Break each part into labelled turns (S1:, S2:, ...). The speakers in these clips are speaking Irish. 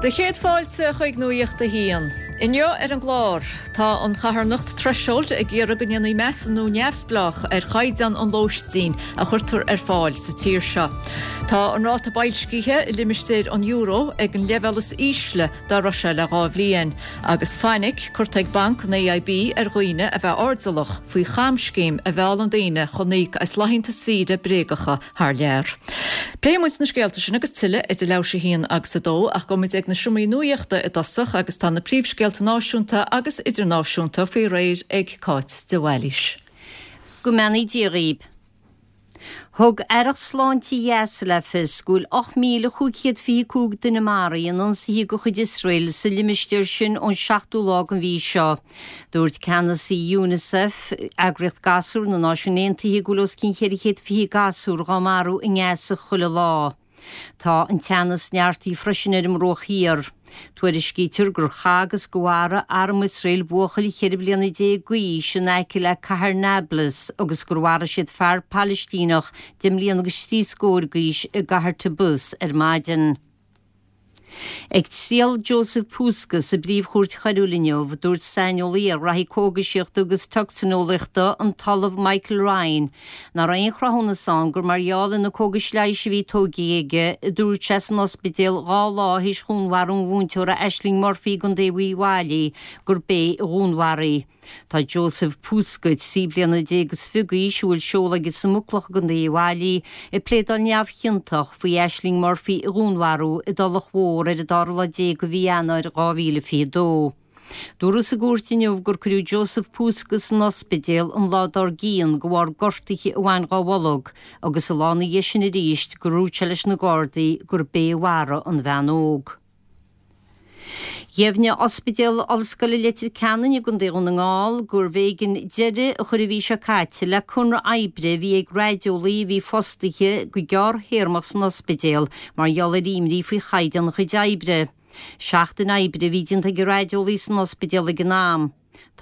S1: Do chéad fáilte chuig Nuacht a hAon. Inniu ar an gclár, tá an charthanacht Threshold ag iarraidh go ndéanfaí measúnú neamhspleách ar chaighdeán an lóistín a chuirtear ar fáil sa tír seo. Tá an ráta boilscithe i limistéar an euro ag an leibhéal is ísle dá raibh sé le 2 bhliain, agus fainic curtha ag banc an AIB ar dhaoine a bheith airdeallach faoi chamscéim a mheallann daoine chun íoc as laethanta saoire bréagacha thar lear. Pléifidh muid na scéalta sin agus tuilleadh idir leathuair théis 1 agus 2 ach gabhfaidh muid ag na seomraí nuachta i dtosach agus tá na príomhscéalta náisiúnta agus idirnáisiúnta faoi réir ag Cáit de Bhailís.
S2: Go mbeannaí Dia dhaoib. Thug Aireacht Sláinte Ghaza le fios go bhfuil 8,525 duine maraithe in ionsaithe de chuid Iosrael sa limistéar sin ón seachtú lá den mhí seo. Dúirt ceannasaí Unicef, eagraíocht gasúr na Náisiún Aontaithe, go bhfuil os cionn 420 gasúr dhá marú i nGaza chuile lá. Tá an teannas neartaithe freisin ar an mBruach Thiar. Tuairiscítear gur chaith agus gur mharaigh arm Iosrael buachaill 14 bliana d'aois in aice le cathair Nablus agus gur mharaigh siad fear Palaistíneach deich mbliana agus trí scór d'aois i gcathair Tubas ar maidin. Ag triail Joseph Puska sa bPríomh-Chúirt Choiriúil inniu, dúirt saineolaí ar ghraithí cógaisíochta agus tocsaineolaíochta, an tOllamh Michael Ryan, nach raibh aon chruthúnas ann gur mar gheall ar na cógais leighis a bhí tógtha aige, a dúirt sé san ospidéal 2 lá théis dhúnmharú an mhúinteora Ashling Murphy i gContae Uíbh Fhailí, gurb é a dhúnmharaigh. Tá Joseph Puska, 13 bliana is fiche d'aois, a bhfuil seoladh aige sa Mhuclach i gContae Uíbh Fhailí, ag pléadáil neamhchiontach faoi Ashling Murphy a dhúnmharú i dTulach Mhór ar an dara lá déag de mhí Eanáir 2022. Dúradh sa gcúirt inniu gur cuireadh Joseph Puska san ospidéal an lá dár gcionn de bharr gortuithe a bhain dhá bholg agus an lá ina dhiaidh sin arís gur dhúirt sé leis na Gardaí gurb é a mharaigh an bhean óg. Dheimhnigh Ospidéal Ollscoile Leitir Ceanainn i gContae Dhún na nGall gurbh éigean deireadh a chur an mhí seo caite le conradh oibre a bhí ag raideolaí a bhí fostaithe go gearrthéarmach san ospidéal mar gheall ar imní faoi chaighdeán a chuid oibre. Seachtain oibre a bhí déanta ag an raideolaí san ospidéal ag an am.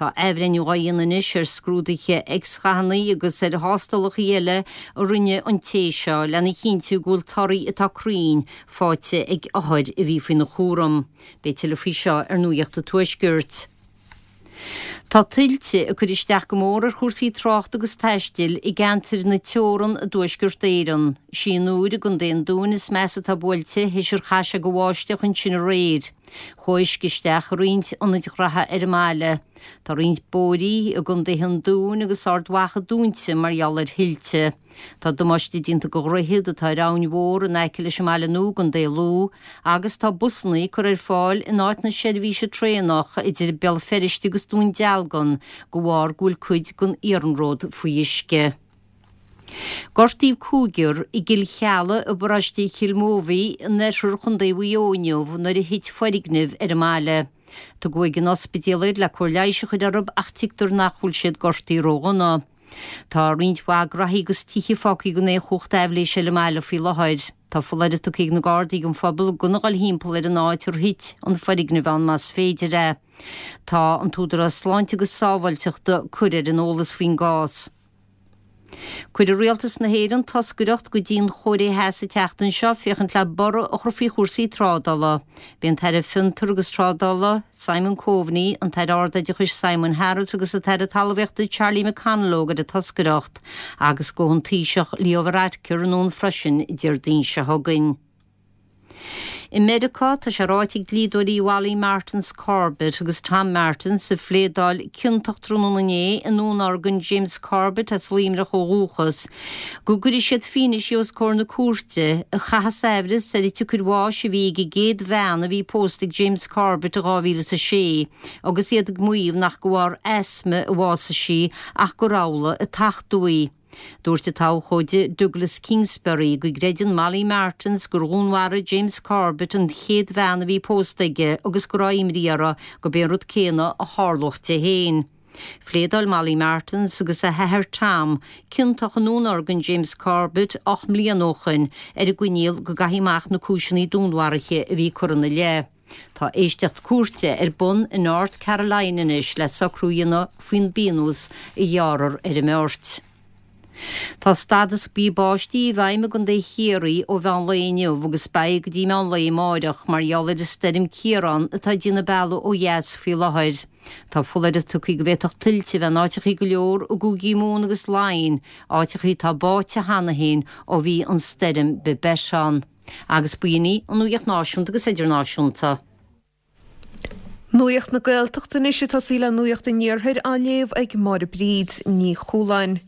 S2: Tá athbhreithniú á dhéanamh anois ar scrúduithe X-ghathanna agus ar thástálacha eile a rinne an té seo lena chinntiú go bhfuil torthaí atá cruinn faighte ag othair a bhí faoina chúram. Beidh tuilleadh faoi seo ar Nuacht an Tuaiscirt. Tá tuilte ag cur isteach go mór ar chúrsaí tráchta agus taistil i gceantair na teorann i dTuaisceart Éireann. Sí an Iúr i gContae an Dúin is measa atá buailte théis ar chaith sé de bháisteach ansin aréir. Chuaigh uisce isteach i roinnt ionaid ghraithe ar an mbaile. Tá roinnt bóithrí i gcontaetha an Dúin agus Ard Mhacha dúnta mar gheall ar thuilte. Tá damáiste déanta do dhroichead atá ar abhainn mhór in aice leis an mBaile Nua i gContae Lú agus tá busanna curtha ar fáil in áit na seirbhíse traenach idir Béal Feirste agus Dún Dealgan de bharr go bhfuil cuid den iarnród faoi uisce. Gortaíodh cúigear i gCill Cheallaigh i bparóiste Chill Mobhí in oirthear Chontae Mhaigh Eo inniu nuair a thit foirgneamh ar an mbaile. Tugadh ag an ospidéal iad le cóir leighis a chur orthu ach tuigtear nach bhfuil siad gortaithe ródhona. Tá roinnt mhaith graithí agus tithe fágtha gan aon chumhacht aibhléise ar an mbaile faoi láthair. Tá foláireamh tugtha ag na Gardaí don phobal gan a dhul thimpeall ar an áit ar thit an foirgneamh ann más féidir é. Tá an tÚdarás Sláinte agus Sábháilteachta curtha ar an eolas faoin gcás. Cuirfidh Rialtas na hÉireann toscaireacht go dtí an Chóiré Theas an tseachtain seo féachaint le borradh a chur faoi chúrsaí trádála. Beidh an tAire Fiontar agus Trádála, Simon Coveney, an tAire Ardoideachais Simon Harris agus an tAire Talmhaíochta Charlie McConalogue ar an toscaireacht agus gabhfaidh an Taoiseach Leo Varadkar anonn freisin Déardaoin seo chugainn. I Meiriceá, tá sé ráite ag dlíodóirí Mholly Martins Corbett agus Tom Martins, a phléadáil ciontach tráthnóna inné i ndúnorgain James Corbett as Luimneach ó dhúchas, go gcuirfidh siad fianaise os comhair na cúirte a chaithfeas aimhreas ar an tsiocair bháis a bhí ag an gcéad bhean a bhí pósta ag James Corbett i 2006 agus iad ag maíomh nach de bharr asma a bhásaigh sí ach gur amhlaidh a tachtadh í. Dúirt an t-abhcóide Douglas Kingsbury go gcreideann Molly Martens gur dhúnmharaigh James Corbett an chéad bhean a bhí pósta aige agus go raibh imní uirthi gurb é an rud céanna a tharlódh di féin. Phléadáil Molly Martens agus a hathair Tom ciontach i ndúnorgain James Corbett 8 mbliana ó shoin ar an gcoinníoll go gcaithfí amach na cúiseanna dúnmharaithe a bhí curtha ina leith. Tá éisteacht cúirte ar bun i North Carolina anois le socrú a dhéanamh faoin bpionós a ghearrfar ar an mbeirt. Tá stádas buí báistí i bhfeidhm i gContae Chiarraí ó mheán lae inniu agus beidh go dtí meán lae amáireach mar gheall ar an stoirm Ciarán atá ag déanamh bealaigh ó dheas faoi láthair. Tá foláireamh tugtha go bhféadfadh tuilte a bheith in áiteachaí go leor i gcúigí Mumhan agus Laighin, áiteachaí atá báite cheana féin ó bhí an stoirm Babet ann. Agus b'in í an nuacht náisiúnta agus idirnáisiúnta.
S3: Nuacht na Gaeltachta anois ag tosaí le Nuacht an Iarthair á léamh ag Máire Bríd Ní Chualáin.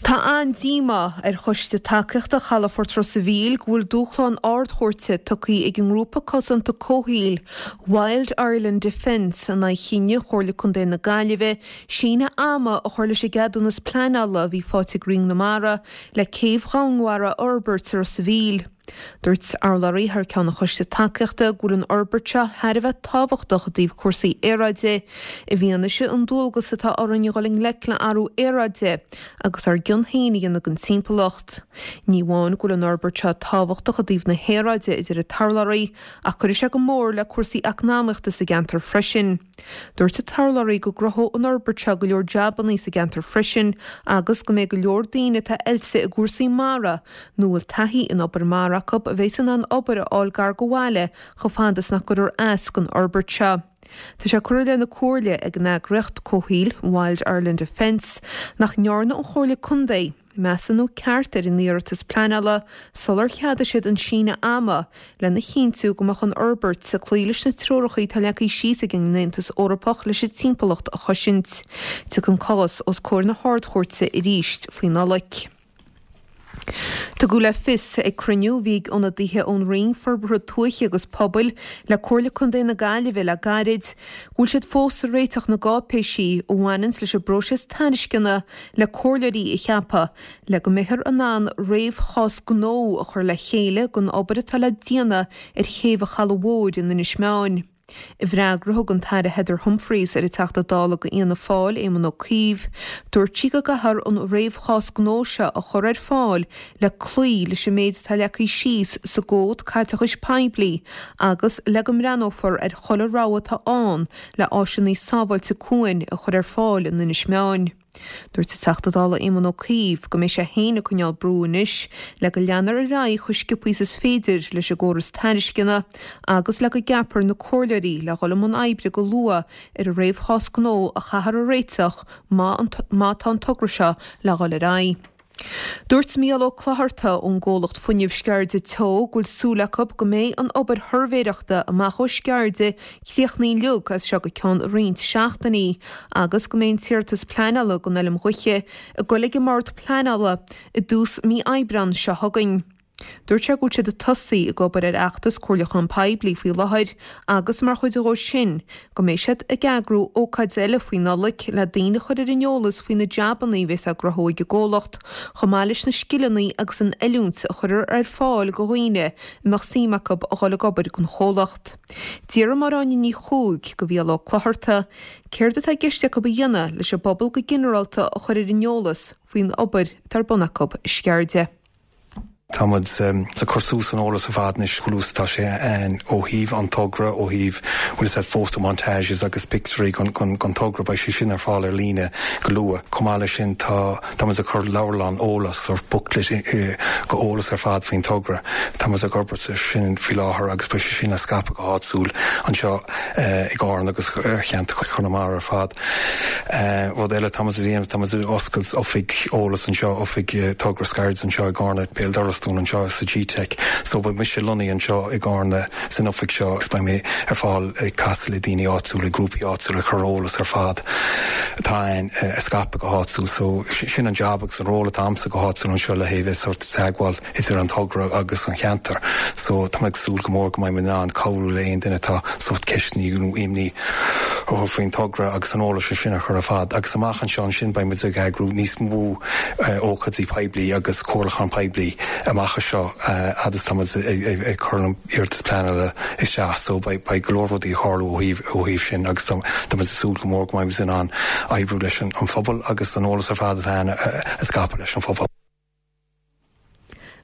S3: Tá an-díomá ar Choiste Tacaíochta Chalafort Ros a' Mhíl go bhfuil dúshlán Ard-Chúirte tugtha ag an ngrúpa cosanta comhshaoil Wild Ireland Defence in aghaidh chinneadh Chomhairle Contae na Gaillimhe síneadh ama a chur leis an gceadúnas pleanála a bhí faighte ag Roinn na Mara le céibh dhomhainmhara a fhorbairt i Ros a' Mhíl. Dúirt urlabhraí thar ceann an Choiste Tacaíochta go bhfuil an fhorbairt seo thar a bheith tábhachtach i dtaobh cúrsaí aeráide, i bhfianaise an dualgas atá orainn a dhul i ngleic le athrú aeráide agus ár gcion féin a dhéanamh don timpeallacht. Ní amháin go bhfuil an fhorbairt seo tábhachtach i dtaobh na haeráide, a deir an t-urlabhraí, ach cuirfidh sé go mór le cúrsaí eacnamaíochta sa gceantar freisin. Dúirt an t-urlabhraí go gcruthódh an fhorbairt seo go leor jabannaí sa gceantar freisin agus go mbeidh go leor daoine atá oilte i gcúrsaí mara nó a bhfuil taithí in obair mara acu a bheas in ann obair a fháil gar go bhaile chomh fada is nach gcuirfear as don fhorbairt seo. Tá sé curtha i leith na Comhairle ag an eagraíocht comhshaoil Wild Ireland Defence nach ndearna an Chomhairle Contae measúnú ceart ar an iarratas pleanála sular cheadaigh siad an síneadh ama lena chinntiú go mbeadh an fhorbairt ag cloí leis na treoracha atá leagtha síos ag an Aontas Eorpach leis an timpeallacht a chosaint. Tiocfaidh an cás os comhair na hArd-Chúirte arís faoi Nollaig. Tugadh le fios ag cruinniú a bhí ag ionadaithe ón Roinn Forbartha Tuaithe agus Pobail le Comhairle Contae na Gaillimhe le gairid go bhfuil siad fós ag réiteach na gcáipéisí a bhaineanns leis an bpróiseas tairisceana le comhairleoirí a cheapadh le go mbeifear in ann réamhchás gnó a chur le chéile don obair atá le déanamh ar chéibh an Chalaidh Mhóir in Inis Meáin. I bhfreagra a thug an tAire Heather Humphreys ar an Teachta Dála do Fhianna Fáil, Éamon Ó Cuív, dúirt sí go gcaithfear an réamhchás gnó seo a chur ar fáil le cloí leis an méid atá leagtha síos sa gCód Caiteachais Poiblí agus le go mbreathnófar ar chuile rogha atá ann le áiseanna sábháilte cuain a chur ar fáil in Inis Meáin. Dúirt an Teachta Dála Éamon Ó Cuív go mbeidh sé féin ag coinneáil brú anois le go leanfar ar aghaidh chomh sciobtha is is féidir leis an gcóras tairisceana agus le go gceapfar na comhairleoirí le dhul i mbun oibre go luath ar an réamhchás gnó a chaithfear a réiteach má tá an togra seo le dhul ar aghaidh. Dúirt Mícheál Ó Clochartaigh ón gcomhlacht fuinnimh Sceirde Teo go bhfuil súil acu go mbeidh an obair shuirbhéireachta amach ó Sceirde críochnaithe uilig as seo go ceann roinnt seachtainí agus go mbeidh an t-iarratas pleanála don Fheilm Ghaoithe ag goil ag an mBord Pleanála i dtús mí Aibreán seo chugainn. Dúirt sé go bhfuil siad ag tosaí ag obair ar fheachtas comhairliúchán poiblí faoi láthair agus mar chuid dhó sin go mbeidh siad ag eagrú ócáid eile faoi Nollaig le daoine a chur ar an eolas faoi na jabanna a bheas á gcruthú ag an gcomhlacht chomh maith leis na scileanna agus an oiliúint a chuirfear ar fáil do dhaoine a mbeadh suim acu a dhul ag obair don chomhlacht. D'fhiafraigh Máire Áine Ní Chuaig de Mhícheál Ó Clochartaigh céard atá i gceist acu a dhéanamh leis an bpobal go ginearálta a chur ar an eolas faoin obair atá ar bun acu i Sceirde.
S4: Tá muid ag cur suas an eolas ar fad anois chomh luath is atá sé ann ó thaobh an togra, ó thaobh bhfuil fhios agat photomontages agus pictiúirí den togra, beidh sé sin ar fáil ar líne go luath. Chomh maith leis sin tá tá muid ag cur leabhrán eolas, sort booklet go eolas ar fad faoin togra. Tá muid ag obair ar sin faoi láthair agus beidh sé sin á scaipeadh go háitiúil anseo i gCarna agus ar cheantar Chonamara ar fad. Rud eile atá muid a dhéanamh, tá muid ag oscailt oifig eolas anseo, oifig Togra Sceirde anseo i gCarna, béal dorais dúinn anseo sa GTeic. So beidh mise lonnaithe anseo i gCarna san oifig seo agus beidh mé ar fáil ag casadh le daoine áitiúla, grúpaí áitiúla, ag cur eolas ar fad atá ann a scaipeadh go háitiúil. So sin an jab agus an ról atá a'msa go háitiúil anseo le haghaidh bheith sort teagmháil idir an togra agus an cheantar so tá mé ag súil go mór go mbeidh mé in ann cabhrú le aon duine atá sórt ceisteanna nó imní orthu faoin togra agus an eolas sin a chur ar fad agus amach anseo ansin beidh muid ag eagrú níos mó ócáidí poiblí agus comhairliúchán poiblí amach anseo fhad is tá muid ag cur an iarratas pleanála isteach so beidh go leor rudaí ag tarlú ó thaobh ó thaobh sin agus tá muid ag súil go mór go mbeidh muid in ann oibriú leis an phobal agus an eolas ar fad atá ann a scaipeadh leis an phobal.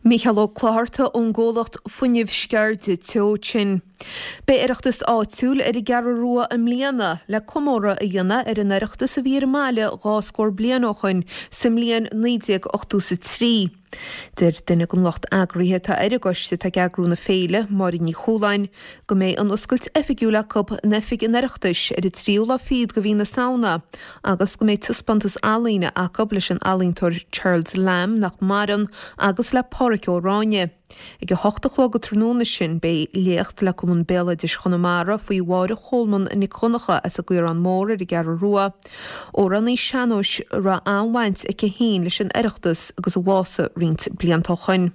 S3: Mícheál Ó Clochartaigh ón gcomhlacht Fuinneamh Sceirde Teo sin. Beidh Oireachtas áitiúil ar an gCeathrú Rua i mbliana le comóradh a dhéanamh ar an Oireachtas a bhí ar an mbaile 2 scór bliain ó shoin sa mbliain 1983. Deir duine den lucht eagraithe atá ar an gcoiste atá ag eagrú na féile, Máire Ní Chualáin, go mbeidh an oscailt oifigiúil acu in oifig an Oireachtais ar an tríú lá fichead de mhí na Samhna agus go mbeidh taispeántas ealaíne acu leis an ealaíontóir Charles Lamb, nach maireann, agus le Pádhraic Ó Ráinne. Ag a hocht a chlog an tráthnóna sin beidh léacht le Cumann Béaloidis Chonamara faoi Mháire Cholmáin Nic Dhonncha as an gCaorán Mór ar an gCeathrú Rua, amhránaí sean-nóis a raibh an-bhaint aici féin leis an Oireachtas agus a bhásaigh roinnt blianta ó shoin.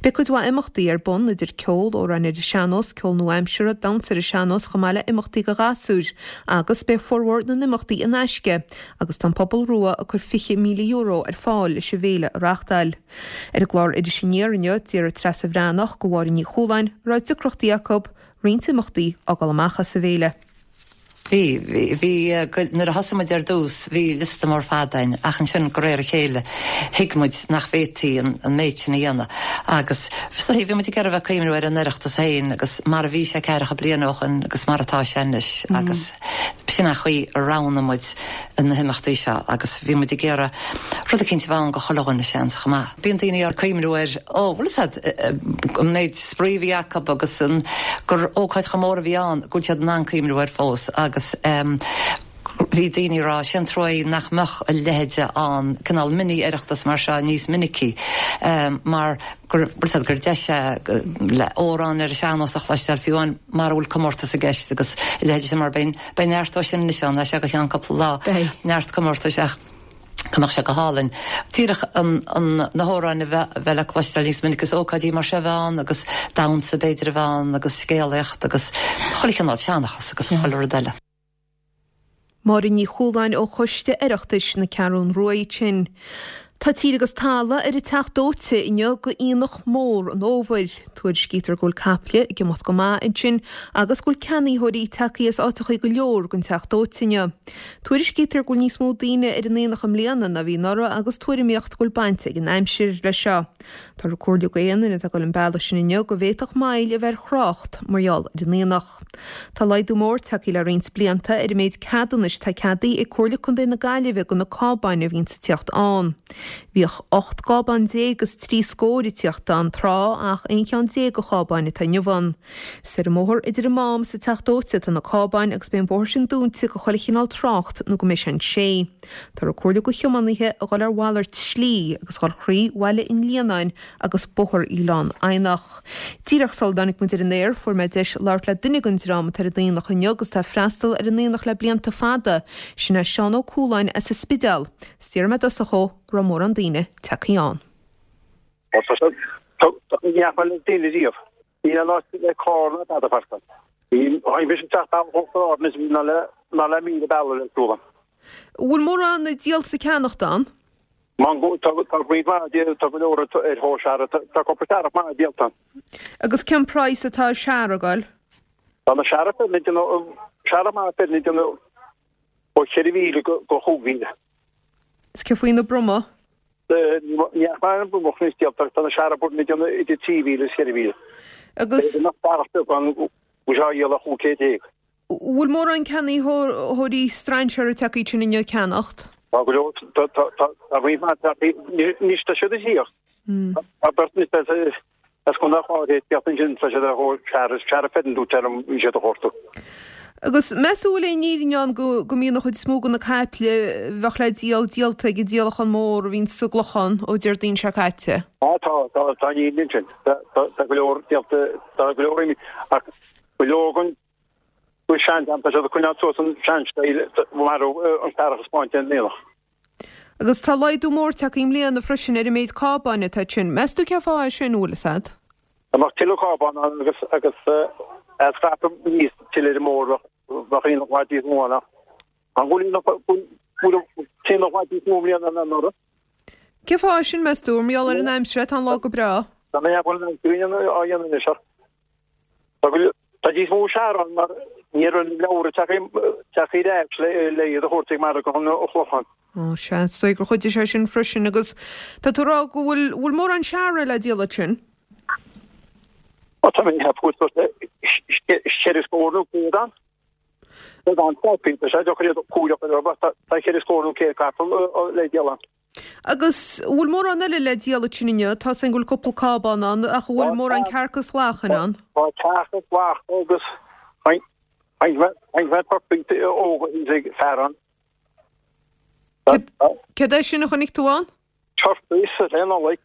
S3: Beidh cuid mhaith imeachtaí ar bun, idir ceol, amhráin ar an sean-nós, ceol nua-aimseartha, damhsa ar an sean-nós chomh maith le imeachtaí do ghasúir, agus beidh formhór na n-imeachtaí in aisce agus tá an Pobal Rua ag cur €20,000 ar fáil leis an bhféile a reachtáil. Ar an gclár Iris Aniar inniu, d'iarr Treasa Bhreathnach go Mháire Ní Chualáin an raibh deacrachtaí acu roinnt imeachtaí a fhágáil amach as an bhféile.
S5: Bhí, bhí, nuair a thosaigh muid ar dtús bhí liosta mór fada againn ach ansin de réir a chéile thuig muid nach bhféadfaí an méid sin a dhéanamh agus so bhí muid ag iarraidh a bheith ag cuimhniú ar an Oireachtas féin agus mar a bhí sé ceathracha bliain ó shoin agus mar atá sé anois agus b'shin an chaoi a roghnaigh muid na himeachtaí seo agus bhí muid ag iarraidh rud eicínt a bheith ann go chuile dhuine seans chomh maith. Bíonn daoine ag cuimhniú ar, ó, bhfuil fhios a'd, an méid spraoi a bhí acu agus an, gur ócáid chomh mór a bhí ann, go bhfuil siad in ann cuimhniú air fós agus bhí daoine ag rá, sé an trua é nach mbeadh a leithéide ann, cineál mini Oireachtas mar seo níos minicí mar gur, bhfuil fhios a'd, gur deis é le amhráin ar an sean-nós a chloisteáil fiú amháin mara bhfuil comórtas i gceist agus a leithéide sin mar beidh, beidh neart dó sin anois ann, as seo go ceann cúpla lá, neart comórtais ach. go mbeadh sé go hálainn díreach an, an, na hamhráin a bheith, bheith le cloisteáil níos minice agus ócáidí mar seo a bheith ann agus damhsa b'fhéidir a bheith ann agus scéalaíocht agus chuile chineál seanchas agus chuile rud eile.
S3: Máire Ní Chualáin ó Choiste Oireachtais na Ceathrún Rua sin. Tá tír agus talamh ar an Teach Dóite inniu go aonach mór an fhómhair. Tuairiscítear go bhfuil caiple ag imeacht go maith ansin agus go bhfuil ceannaitheoirí tagtha as áiteachaí go leor don Teach Dóite inniu. Tuairiscítear go bhfuil níos mó daoine ar an aonach i mbliana ná bhí anuraidh agus tuairimíocht go bhfuil baint ag an aimsir leis seo. Táthar ag comhairliú go aon duine atá ag dul an bealach sin inniu go bhféadfadh moill a bheith ar thrácht mar gheall ar an aonach. Tá laghdú mór tagtha le roinnt blianta ar an méid ceadúnais atá ceadaithe ag Comhairle Contae na Gaillimhe do na cábáin a bhíonns ag tíocht ann. Bhíodh 18 gcábán is 3 scór ag tíocht ann tráth ach 11 cheann de chábáin atá inniu ann. Is ar an mbóthar idir an Mám is an Teach Dóite atá na cábáin agus beidh an bóthar sin dúnta go chuile chineál trácht nó go mbeidh sé an sé. Táthar ag comhairliú go thiománaithe a dhul ar mhalairt slí agus dhul thrí Bhaile an Líonáin agus Bóthar Oileán Eidhneach. Díreach sula dtáinig muid ar an aer fuair mé deis labhairt le duine den dream atá ar an aonach inniu agus atá ag freastal ar an aonach le blianta fada, sin é Seán Ó Cualáin as an Spidéal. Is d'iarr mé i dtosach dhó an raibh mórán daoine tagtha ann.
S6: Tá ní fhaca mé daoine riamh. Níl aon áit le carr ná tada a pháirceáil. Bhí mise ag teacht bealach Uachtar Ard anois ná le ná le 1,000 bealach le siúl ann.
S3: An bhfuil mórán díolta is ceannachta ann?
S6: Tá tá roinnt mhaith de tá go leor ar thóir searraigh tá cúpla searrach maith díolta ann.
S3: Agus cén praghas atá ar searrach ag goil?
S6: Tá na searraigh fireann ag déanamh searrach maith fireann ag déanamh ó 4,000 go go 5,000.
S3: Is cé faoi na bromaigh?
S6: Ní fhaca mé aon bromach anois díolta ach tá na searraigh baineann ag déanamh idir 3,000 is 4,000.
S3: Agus.
S6: B'fhéidir nach searrach beag ann go bhfuil sé á dhíol ar 1500.
S3: Bhfuil mórán ceannaitheoirí strainséara tagtha ansin inniu ag ceannacht?
S6: Tá go leor, tá roinnt mhaith tagtha, anois tá siad ag tíocht. Tá beirt anois as Contae an Chláir ag tíocht ansin, tá siad ar thóir searraigh, searrach fireann dúirt sé liom, bhí siad a chuartú.
S3: Agus meas tú bhfuil aon fhírinne ann go go mbíonn an chuid is mó de na caiple a bheadh le díol díolta ag an díolachán mór a bhíonn sa gClochán ó Déardaoin seo caite?
S6: Á tá, tá, tá an fhírinne ansin. Tá, tá go leor díolta, tá go leor imithe ach go leor den den seandream, tá siad ag coinneáil suas an sean-style mar an searrach a 'spáint ar an aonach.
S3: Agus tá laghdú mór tagtha i mbliana freisin ar an méid cábáin atá ansin. Meas tú cén fáth é sin, an bhfuil fhios a'd?
S6: Dá mbeadh tuilleadh cábán ann agus agus é scaipeadh níos tuilleadh ar an mbóthar bheadh aonach i bhfad níos mó ann ach an bhfuil aonach bhfuil aonach i bhfad níos mó i mbliana ná anuraidh?
S3: Cén fáth é sin, meas tú? Mar gheall ar an aimsir, tá an lá go breá.
S6: Tá mé ag ceapadh go bhfuil an aimsir á dhéanamh anois ach tá go tá níos mó searrach ann mar ní raibh na leabhra tagtha ar ais le iad a thabhairt ag margadh an Chlocháin.
S3: Ó, sea, is dóigh gur chuidigh sé sin freisin agus tá tú ag rá go bhfuil, bhfuil mórán searraigh le díol ansin?
S6: Ó, tá mé ag ceapadh go bhfuil ceithre scór nó 100 ann. Tá an capaill, tá sé deacair iad a chomhaireamh ar bith, tá ceithre scór nó 100 capall le díol ann.
S3: Agus an bhfuil mórán eile le díol ansin inniu? Tá 's againn go bhfuil cúpla cábán ann, ach an bhfuil mórán cearca is lachain ann?
S6: Tá cearca is lacha agus roinnt mhaith turcaí óga thíos ag fear ann.
S3: Céard é sin a chonaic tú ann?
S6: Turcaí sa le Nollaig.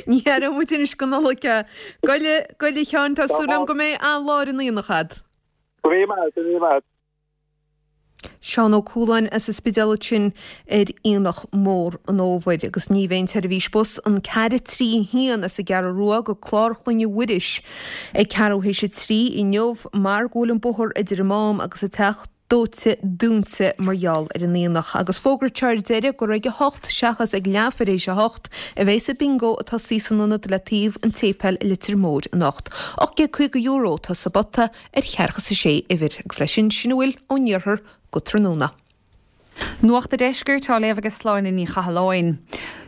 S3: Ní aireoidh muid anois go Nollaig é. Gabh i leith, gabh i leith a Sheáin, tá súil agam go mbeidh an-lá ar an aonach a'd.
S6: Go raibh maith, go raibh maith.
S3: Seán Ó Cualáin as an Spidéal ansin ar Aonach Mór an Fhómhair. Agus ní bheidh an tseirbhís bus an 4 3 1 as an gCeathrú Rua go Clár Chlainne Mhuiris ag ceathrú théis a 3 inniu mar go bhfuil an bóthar idir an Mám agus an Teach Dóite dúnta mar gheall ar an aonach. Agus fógraítear ar deireadh gur ag a hocht seachas ag leathuair théis a hocht a bheas an bingo ag tosaí san ionad le taobh an tséipéil i Leitir Móir anocht. €1,850 atá sa bpota ar cheathracha is a sé uimhir. Agus leis sin, sin a bhfuil ón iarthar go tráthnóna.
S7: Nuacht a' Deiscirt á léamh ag Sláine Ní Chathalláin.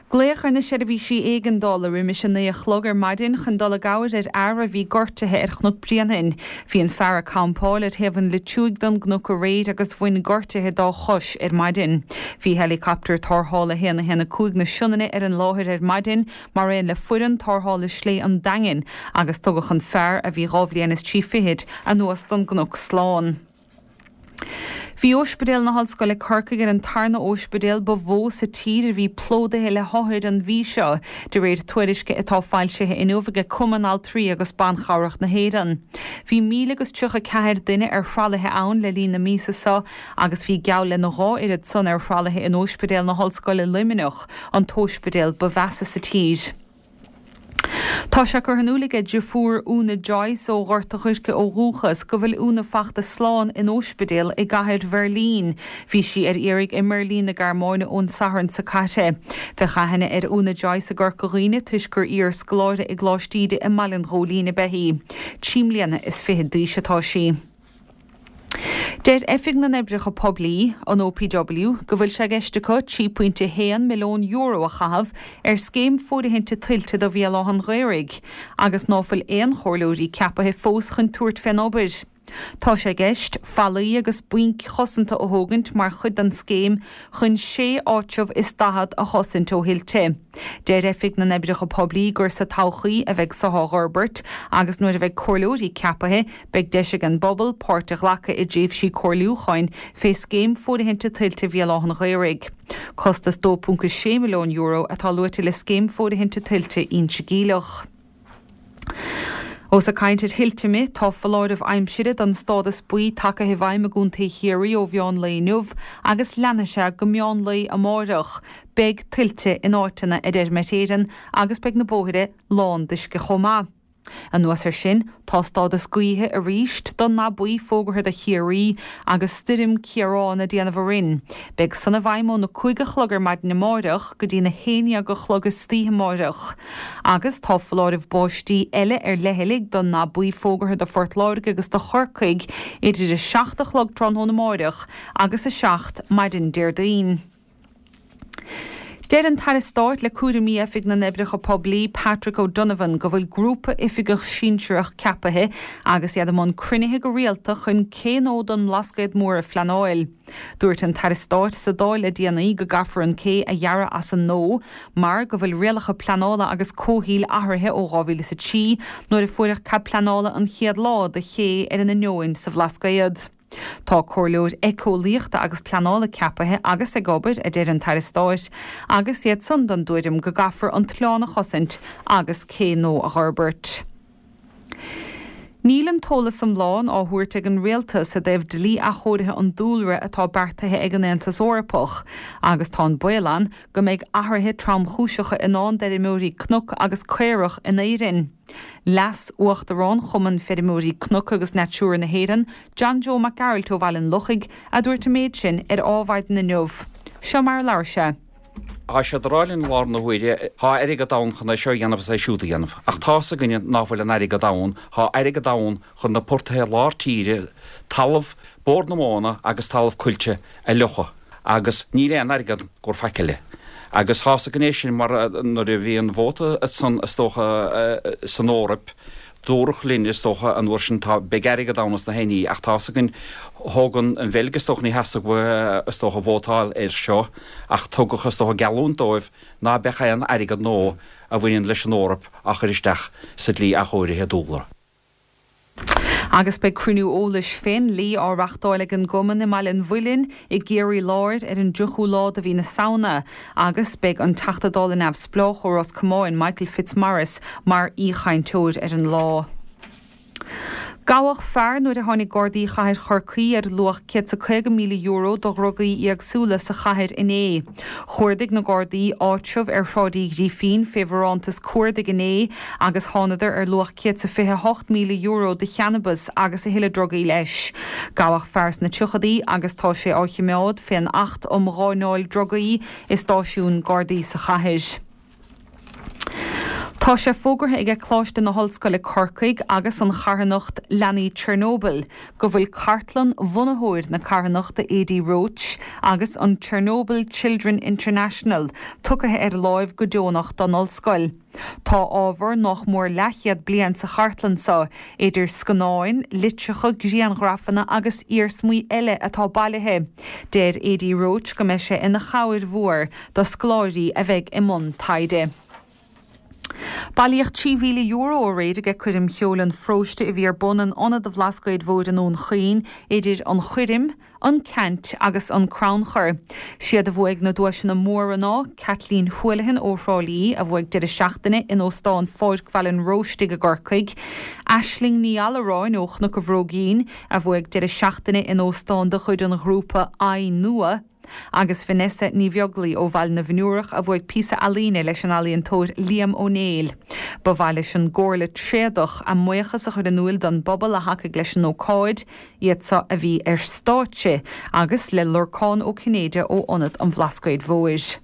S7: Glaodh ar na seirbhísí éigeandála roimis a 9 a chlog ar maidin chun dul i gcabhair ar fhear a bhí gortaithe ar Chnoc Bréanainn. Bhí an fear ag campáil ar thaobh an Loitiúig den gcnoc aréir agus bhain gortuithe dá chois ar maidin. Bhí helicopter tarrthála 1 1 5 na Sionainne ar an láthair ar maidin mar aon le foireann tarrthála Slé an Daingin agus tugadh an fear, a bhí dhá bhliain is trí fichid, anuas don gcnoc slán. Bhí Óispidéal na hOllscoile Corcaigh ar an tarna óispidéal ba mhó sa tír a bhí plódaithe le hothair an mhí seo, de réir tuairisce atá foilsithe inniu ag Cumann Altraí agus Ban Chabhrach na hÉireann. Bhí 1,034 duine ar thralaithe ann le linn na míosa seo agus bhí geall lena dhá oiread san ar thralaithe in Óispidéal na hOllscoile Luimneach, an t-óispidéal ba mheasa sa tír. Tá sé curtha in iúl aige deirfiúr Úna Joyce ó Ghort a' Choirce ó dhúchas go bhfuil Úna fachta slán in óispidéal i gcathair Bheirlín. Bhí sí ar iarraidh i mBeirlín na Gearmáine ón Satharn seo caite. Bheadh aithne ar Úna Joyce i gCorca Dhuibhne toisc gur iar-scoláire i gColáiste Íde i mBaile an Ghóilín ab ea í. 23 mbliana d'aois atá sí. Deir Oifig na nOibreacha Poiblí, an OPW, go bhfuil sé i gceist acu €3.1 milliún a chaitheamh ar scéim fóirithinte tuilte do Bhéal Átha an Ghaorthaidh agus ná fuil aon chomhairleoirí ceapaithe fós chun tabhairt fén obair. Tá sé i gceist fallaí agus bainc chosanta a thógaint mar chuid den scéim chun sé áitreabh is 40 a chosaint ó thuilte. Deir Oifig na nOibreacha Poiblí gur sa todhchaí a bheidh so á dh'fhorbairt agus nuair a bheidh comhairleoirí ceapaithe Beidh deis ag an bpobal páirt a ghlacadh i dtréimhsí comhairliúcháin fé Scéim Fóirithinte Tuilte Bhéal Átha an Ghaorthaidh. Costas €2.6 milliún atá luaite le Scéim Fóirithinte Tuilte Inse Geimhleach. Ós ag caint ar thuilte mé, tá foláireamh aimsire don stádas buí tagtha i bhfeidhm i gContae Chiarraí ó mheán lae inniu agus leanfaidh sé go meán lae amáireach. Beidh tuilte in áiteanna, a deir Met Éireann, agus beidh na bóithre lán d'uisce chomh maith. Anuas air sin, tá stádas gaoithe arís don ndath buí fógartha do Chiarraí agus stoirm Ciarán ag déanamh orainn. Beidh san i bhfeidhm óna 5 a chlog ar maidin amáireach go dtí na 11 a chlog istoíche amáireach. Agus tá foláireamh báistí eile ar leithligh don ndath buí fógartha do Phort Láirge agus do Chorcaigh idir 7 a chlog tráthnóna amáireach agus 7 maidin Déardaoin. Deir an tAire Stáit le cúraimí Oifig na nOibreacha Poiblí, Patrick O'Donovan, go bhfuil grúpa oifigeach sinsearach ceapaithe agus iad i mbun cruinnithe go rialta chun Cé Nó don mBlascaod Mór a phleanáil. Dúirt an tAire Stáit sa Dáil le déanaí go gcaithfear an cé a dhearadh as an nua mar go bhfuil rialacha pleanála agus comhshaoil athraithe ó 2003 nuair a fuaireadh cead pleanála an chéad lá do ché ar an Inneoin sa Bhlascaod. Tá comhairleoir éiceolaíochta agus pleanála ceapaithe agus ag obair, a deir an tAire Stáit, agus iad san den dtuairim go gcaithfear an t-oileán a chosaint agus cé nua a dh'fhorbairt. Níl an t-eolas iomlán á thabhairt ag an Rialtas i dtaobh dlí athchóirithe an dúlra atá beartaithe ag an Aontas Eorpach agus tá an baol ann go mbeidh athruithe tromchúiseacha i ndán d'fheirmeoirí cnoc agus caorach in Éirinn. Leas-Uachtarán Chumann Feirmeoirí Cnoc agus Natura na hÉireann, John Joe Mac Gearailt ó Bhaile an Lochaigh, a dúirt an méid sin ar Ádhmhaidin inniu. Seo mar a labhair sé.
S8: Tá siad ag rá linn i láthair na huaire, tá airgead ann chun é seo a dhéanamh is é siúd a dhéanamh. Ach tá's againne ná fuil an airgead ann, tá airgead ann chun na portaithe lár tíre, talamh Bord na Móna agus talamh coillte a fhliuchadh. Agus níl aon airgead i gcomhair faic eile. Agus tá's againn é sin mar nuair a bhí an vóta san is dócha san Eoraip, dúradh linn is dócha an uair sin tá, beidh airgead ann is na haon ní ach tá's againn thóg an Bheilg is dócha ní theastaigh uathu is dócha vótáil air seo ach tugadh is dócha geallúint dóibh ná beadh aon airgead nua a bhaineann leis an Eoraip á chur isteach sa dlí athchóirithe dúlra.
S7: Agus beidh cruinniú eolais fén ndlí á reachtáil ag an gCumann i mBaile an Mhuilinn i gCiarraí Láir ar an dtríochú lá de mhí na Samhna agus beidh an Teachta Dála Neamhspleách ó Ros Comáin, Michael Fitzmaurice, mar aoichainteoir ar an lá. Gabhadh fear nuair a tháinig Gardaí Chathair Chorcaí ar luach €150,000 de dhrugaí éagsúla sa chathair inné. Chuardaigh na Gardaí áitreabh ar Shráid Uí Ghrífín fé bharántas cuardaigh inné agus thánadar ar luach €128,000 de channabas agus a thuilleadh drugaí leis. Gabhadh fear sna tríochadaí agus tá sé á chimeád fén Acht um Gháinneáil Drugaí i stáisiún Gardaí sa chathair. Tá sé fógartha aige Coláiste na hOllscoile Corcaigh agus an charthanacht Leanaí Chernobyl go bhfuil cartlann bhunaitheoir na carthanachta Adi Roche agus an Chernobyl Children International tugtha ar láimh go deonach don Ollscoil. Tá ábhar nách mór leathchéad bliain sa chartlann seo, idir scannáin, litreacha, grianghrafanna agus iarsmaí eile atá bailithe. Deir Adi Roche go mbeidh sé ina chabhair mhór do scoláirí a bheidh i mbun taighde. Bailíodh €3,000 aréir aige Coirm Cheoil an Pharóiste a bhí ar bun in Ionad an Bhlascaoid Mhóir i nDún Chaoin idir an choirm, an ceant agus an crannchur. Siad a bhuaigh na duaiseanna móra ná, Kathleen Houlihan ó Thrá Lí a bhuaigh deireadh seachtaine in Óstán Pháirc Bhaile an Róistigh i gCorcaigh, Aisling Ní Allaráin ó Chnoc an Bhróigín a bhuaigh deireadh seachtaine in óstán de chuid an ghrúpa Aghaidh Nua, agus Vanessa Ní Bheaglaoi ó Bhaile na bhFionnúrach a bhuaigh píosa ealaíne leis an ealaíontóir Liam Ó Néill. Ba mhaith leis an gComhairle Tréadach a mbuíochas a chur in úil don bpobal a thacaigh leis an ócáid, iad seo a bhí ar stáitse, agus le Lorcán Ó Cinnéide ó Ionad an Bhlascaoid Mhóir.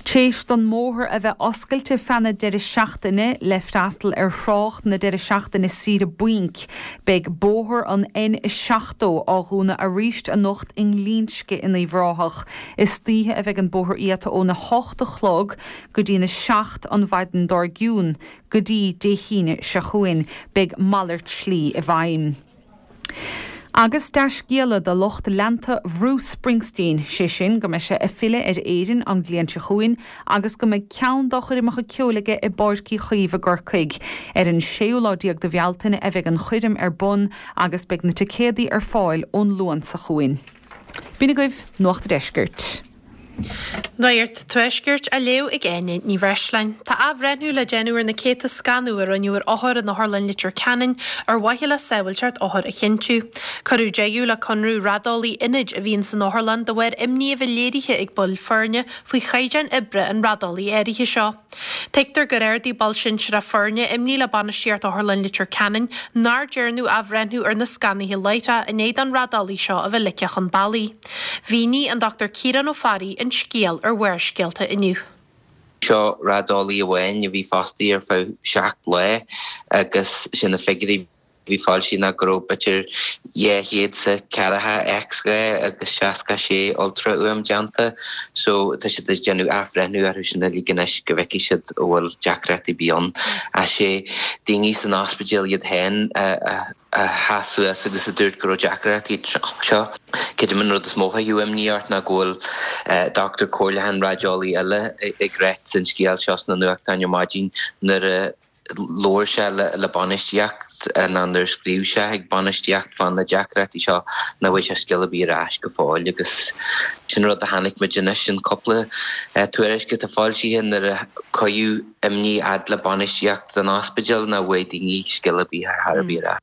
S7: Tréis don mbóthar a bheith oscailte feadh na deireadh seachtaine le freastal ar thrácht na deireadh seachtaine saoire bainc, beidh bóthar an N70 á dhúnadh arís anocht i nGlinsce in Uíbh Ráthach. Istoíche a bheidh an bóthar iata óna hocht a chlog go dtína seacht an mhaidin dár gcionn go dtí Dé hAoine seo chugainn. Beidh malairt slí i bhfeidhm. Agus dea-scéala do lucht leanta Bhruce Springsteen, sé sin go mbeidh sé ag filleadh ar Éirinn an bhliain seo chugainn agus go mbeidh ceann dá choirmeacha ceoil aige i bPáirc Uí Chaoimh i gCorcaigh. Ar an séú lá déag de Bhealtaine a bheidh an choirm ar bun agus beidh na ticéadaí ar fáil ón Luan seo chugainn. B'in agaibh Nuacht a' Deiscirt.
S9: Nuacht Tuaiscirt á léamh ag Áine Ní Bhreisleáin. Tá athbhreithniú le déanamh ar na céadta scanadh a rinneadh ar othair in Otharlann Leitir Ceanainn ar mhaithe le sábhailteacht othar a chinntiú. Cuireadh deireadh le conradh raideolaí ionaid a bhíonn san otharlann de bharr imní a bheith léirithe ag baill foirne faoi chaighdeán oibre an raideolaí áirithe seo. Tuigtear gur ardaigh ball sinsearach foirne imní le bainistíocht Otharlann Leitir Ceanainn nár dearnadh athbhreithniú ar na scannaithe láithreach i ndiaidh don raideolaí seo a bheith ligthe chun bealaigh. Mhínigh an Dr Ciarán Ó Fearraigh an scéal ar Bharrscéalta inniu.
S10: Seo raideolaí amháin a bhí fostaithe ar feadh 7 lá agus sé na figiúirí a bhí foilsithe ná go raibh b'fhéidir 240 X-ray agus 66 ultrafhuaim déanta so tá siad ag déanamh athbhreithniú orthu sin uilig anois go bhfeicfidh siad an bhfuil deacrachtaí ar bith ann. Ach sé daoine san ospidéal iad féin a a sheas suas agus a dúirt go raibh deacrachtaí anseo. Creidim an rud is mó a chuirfeadh imní ort ná go bhfuil dochtúir comhairleachán raideolaí eile ag ráit an scéal seo sna nuachtáin ar maidin nuair a labhair sé le bainistíocht ná nuair a scríobh sé chuig bainistíocht fá na deacrachtaí seo nach bhfuair sé scéal ar bith ar ais go fóill agus sin rud a chonaic muid anois in cúpla tuairisc atá foilsithe nuair a cuireadh imní fhad le bainistíocht an ospidéil nach bhfuair daoine scéal ar bith ar chor ar bith ar ais.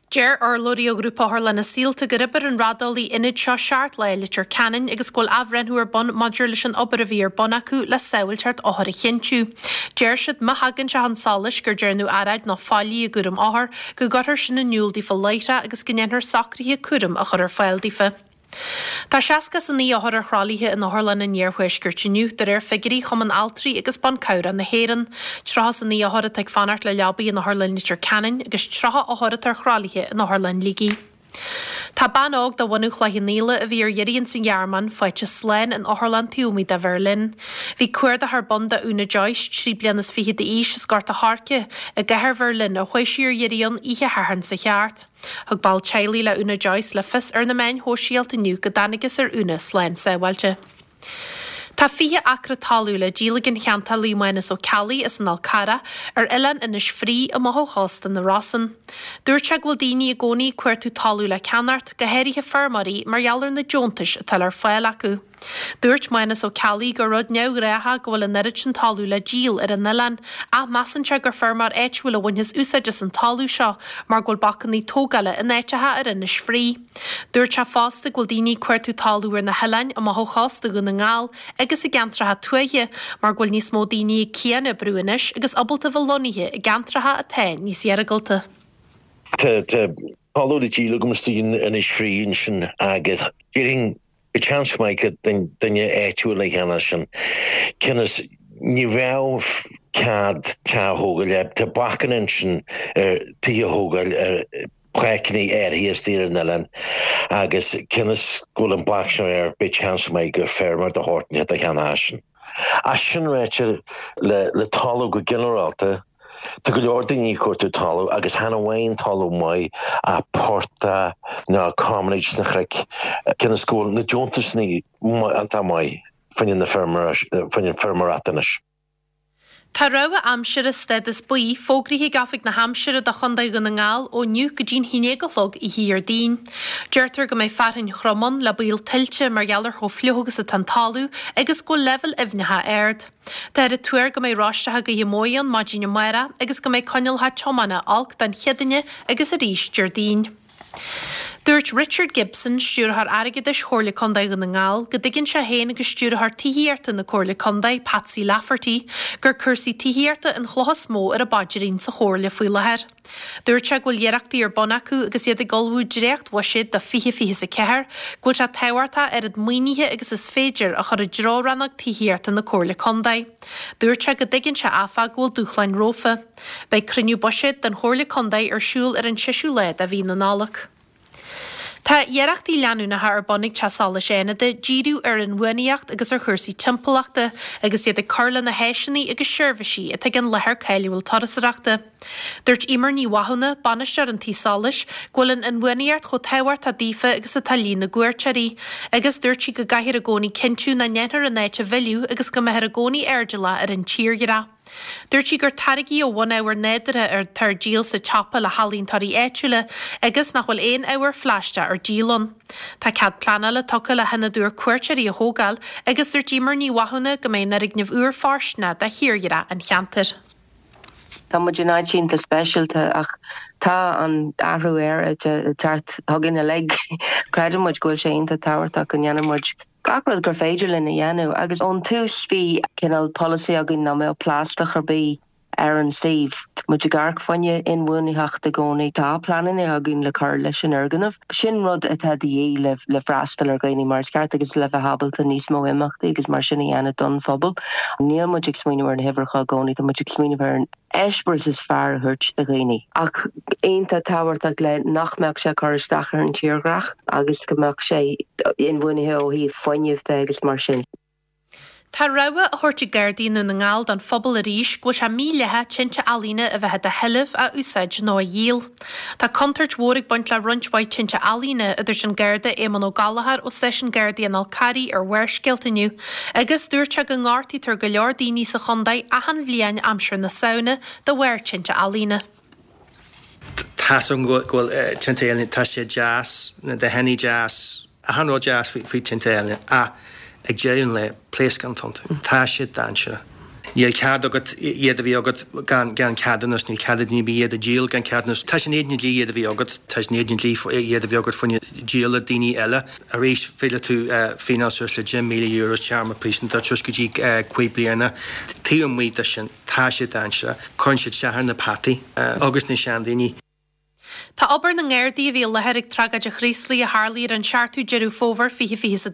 S9: Deir urlabhraí ó Ghrúpa Otharlanna Saolta gur oibir an raideolaí ionaid seo seacht lá i Leitir Ceanainn agus go bhfuil athbhreithniú ar bun maidir leis an obair a bhí ar bun acu le sábhailteacht othar a chinntiú. Deir siad má thagann sé chun solais gur dearnadh earráid nó faillí i gcúram othar, go gcuirfear sin in iúl daofa láithreach agus go ndéanfar socruithe cúraim a chur ar fáil daofa. Tá 69 othar ar thralaithe in otharlanna an iarthuaiscirt inniu, de réir figiúirí Chumann Altraí agus Ban Cabhrach na hÉireann. 39 othar atá ag fanacht le leabaí in Otharlann Leitir Ceanainn agus 30 othar atá ar thralaithe in Otharlann Shligigh. Tá bean óg de bhunadh Chloich Cheann Fhaola a bhí ar iarraidh ins an Ghearmáin faighte slán in otharlann taobh amuigh de Bheirlin. Bhí cuardach ar bun do Úna Joyce, 23 bliana d'aois as Gort a' Choirce, i gcathair Bheirlin ar chuaigh sí ar iarraidh ann oíche Shathairn seo thart. Thug ball teaghlaigh le Úna Joyce le fios ar na meáin shóisialta inniu go dtángthas ar Úna slán sábháilte. Tá 20 acra talún le díol ag an cheantálaí Mánas Ó Ceallaigh as an Fhál Carrach ar oileán Inis Fraoigh amach ó chósta na Rosann. Dúirt sé go bhfuil daoine i gcónaí ag cuartú talún le ceannacht, go háirithe feirmeoirí, mar gheall ar na deontais atá ar fáil acu. Dúirt Mánas Ó Ceallaigh gur rud neamhghnách go bhfuil an oiread sin talún le díol ar an oileán ach measann sé gur feirmeoir áitiúil a bhainfeas úsáid as an talamh seo mar go bhfuil bacannaí tógála in áiteacha ar Inis Fraoigh. Dúirt sé fosta go bhfuil daoine ag cuartú talún ar na hoileáin amach ó chósta Dhún na nGall agus i gceantracha tuaithe mar go bhfuil níos mó daoine ag cian-oibriú anois agus ábalta bheith lonnaithe i gceantracha atá níos iargúlta.
S11: Tá talamh le díol agam istigh in Inis Fraoigh ansin agus déarfainn go seans maith go duine áitiúil a cheannós sin. Cionn is ní bheadh cead teach a thógáil, tá bacanna ansin ar tithe a thógáil ar pháirceanna áirithe istigh ar an oileán agus cionn is go bhfuil an bac sin air beidh seans maith gur feirmeoir de shórt inteacht a cheannódh sin. Ach sin ráite, le talamh go ginearálta, tá go leor daoine ag cuartú talamh agus chan amháin talamh maith ach portach nó commonage sna chnoic, cionn is go bhfuil na deontasanna iontach maith fá choinne na feirmeoireachta anois.
S9: Tá rabhadh aimsire stádas buí fógraithe ag Oifig na hAimsire do Chontae Dhún na nGall ó inniu go dtí'n 11 a chlog oíche Dhéardaoin. Deirtear go mbeidh fearthainn throm ann le baol tuilte mar gheall ar chomh fliuch agus atá an talamh agus go bhfuil leibhéil aibhneacha ard. Táthar ag tuar go mbeidh roisteacha gaoithe móire ann maidin amárach agus go mbeidh coinníollacha tiomána olc don Chéadaoine agus arís Déardaoin. Dúirt Richard Gibson, Stiúrthóir Airgeadais Chomhairle Contae Dhún na nGall, go dtuigeann sé féin agus Stiúrthóir Tithíochta na Comhairle Contae, Patsy Lafferty, gur cúrsaí tithíochta an chloch is mó ar a bpaidrín sa Chomhairle faoi láthair. Dúirt sé go bhfuil iarrachtaí ar bun acu agus iad ag ullmhú dréacht-bhuiséad do 2024, go bhfuil sé tábhachtach oiread maoinithe agus is féidir a chur i dtreo rannóg tithíochta na Comhairle Contae. Dúirt sé go dtuigeann sé, áfach, go bhfuil dúshláin rompu. Beidh cruinniú buiséid den Chomhairle Contae ar siúl ar an seisiú lá de mhí na Nollag. Tá iarrachtaí leanúnacha ar bun ag Teach Solais Fhánada díriú ar inbhuanaitheacht agus ar chúrsaí timpeallachta agus iad ag cur le na háiseanna agus seirbhísí atá ag an láthair cáiliúil turasóireachta. Dúirt Emer Ní Mhathúna, bainisteoir an tí solais, go bhfuil an inbhuanaitheacht chomh tábhachtach daofa agus atá líon na gcuairteoirí, agus dúirt sí go gcaithfear i gcónaí cinntiú nach ndéanfar an áit a mhilleadh agus go mbeifear i gcónaí airdeallach ar an tírdhreach. Dúirt sí gur táirgí ó bhunábhar nádúrtha atá ar díol sa tsiopa le healaíontóirí áitiúla agus nach bhfuil aon ábhar phlaisteach ar díol ann. Tá cead pleanála tugtha le hionad úr cuairteoirí a thógáil agus dúirt Emer Ní Mhathúna go mbeidh an fhoirgneamh úr fóirsteanach do thírdhreach an cheantair.
S12: Tá muid in áit iontach speisialta ach tá an athrú aeráide ag teacht chugainn uilig. Creideann muid go bhfuil sé iontach tábhachtach go ndéanann muid gach rud gur féidir linn a dhéanamh agus ón tús bhí cineál polasaí againn nach mbeadh plaisteach ar bith ar an suíomh. Tá muid ag amharc fá choinne inbhuanaitheacht i gcónaí. Tá pleananna againn le cur leis an fhoirgneamh. Sin rud atá de dhíth le le freastal ar dhaoine mar is ceart agus le bheith ábalta níos mó imeachtaí agus mar sin a dhéanamh don phobal. Níl muid ag smaoineamh ar na huimhreacha i gcónaí, tá muid ag smaoineamh ar an eispéireas is fearr a thabhairt do dhaoine. Ach iontach tábhachtach le nach mbeadh sé ag cur isteach ar an tírdhreach agus go mbeadh sé inbhuanaithe ó thaobh fuinnimh de agus mar sin.
S9: Tá rabhadh á thabhairt ag Gardaí i nDún na nGall don phobal arís go bhfuil sé mídhleathach tinte ealaíne a bheith i do sheilbh, a úsáid nó a dhíol. Tá contúirt mhór ag baint le roinnt mhaith tinte ealaíne, a dúirt an Garda Éamonn Ó Gallchóir ó Stáisiún Gardaí an Fhál Carraigh ar Bharrscéalta inniu agus dúirt sé go ngortaítear go leor daoine sa chontae achan bhliain aimsir na Samhna de bharr tinte ealaíne.
S13: Tá's agam go bhfuil tinte ealaíne, tá sé deas, na dathannaí deas, achan rud deas faoi tinte ealaíne ach ag deireadh an lae, pléascán atá iontu. Tá siad dainséarach. Níl cead agat iad a bheith agat gan gan ceadúnas, níl cead ag duine ar bith iad a dhíol gan ceadúnas. Tá sé in éadan an dlí iad a bheith agat, tá sé in éadan an dlí iad a bheith agat fá choinne díol le daoine eile. Arís, féadfaidh tú fíneáil suas le €10,000, téarma príosúnachta suas go dtí 5 bliana. Taobh amuigh de sin, tá sé dainséarach. Cuireann siad isteach ar na peataí agus na seandaoine.
S9: Tá obair na nGardaí a bhí i láthair ag tragóid an Chraoslaigh a tharlaigh ar an 7ú Deireadh Fómhair 2022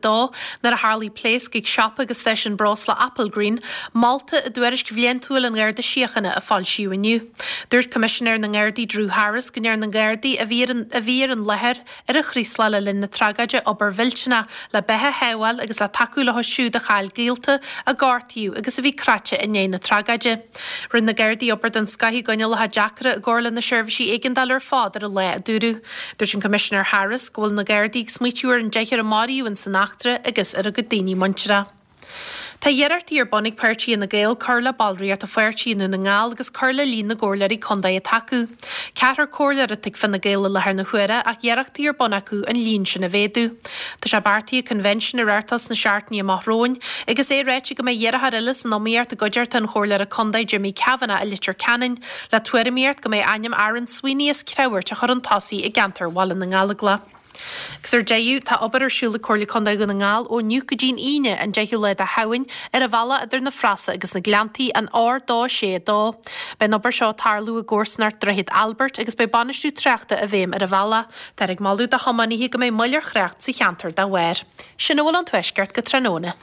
S9: nuair a tharlaigh pléasc ag siopa agus stáisiún breosla Applegreen, molta i dtuairisc bhliantúil an Gharda Síochána a foilsíodh inniu. Dúirt Coimisinéir na nGardaí Drew Harris go ndearna na Gardaí a bhí ar an a bhí ar an láthair ar an Chraoslach le linn na tragóide obair mhillteanach le beatha a shábháil agus le tacú leo siúd a chaill gaolta, a gortaíodh agus a bhí cráite i ndiaidh na tragóide. Rinne na Gardaí obair den scoth i gcoinníollacha deacra i gcomhar le na seirbhísí éigeandála ar fad ar an lá, a dúradh. Dúirt an Coimisinéir Harris go bhfuil na Gardaí ag smaoitiú ar an deichniúr a maraíodh in san eachtra agus ar a gcuid daoine muintire. Tá iarrachtaí ar bun ag páirtí Fhine Gael cur le ballraíocht an pháirtí i nDún na nGall agus cur le líon na gcomhairleoirí contae atá acu. Ceathrar comhairleoir atá ag Fine Gael i láthair na huaire ach iarrachtaí ar bun acu an líon sin a mhéadú. Tá sé beartaithe convention a reáchtáil sna seachtainí amach romhainn agus é ráite go mbeidh iarrthóir eile san iomaíocht i gcuideachta an Chomhairleora Contae Jimmy Kavanagh i Leitir Ceanainn le tuairimíocht go mbeidh ainm Aaron Sweeney as Creabhairt á chur chun tosaigh i gceantar Bhaile na nGallóglach. Agus ar deireadh, tá obair ar siúl ag Comhairle Contae Dhún na nGall ó inniu go dtí'n Aoine, an 10ú lá de Shamhain, ar an bhealach idir na Frasa agus na Gleanntaí, an R262. Beidh an obair seo ag tarlú i gcomharsanacht Droichead Albert agus beidh bainistiú tráchta i bhfeidhm ar an bhealach. Táthar ag moladh do thiománaithe go mbeidh moill ar thrácht sa cheantar dá bharr. Sin a bhfuil ón Tuaisceart go tráthnóna.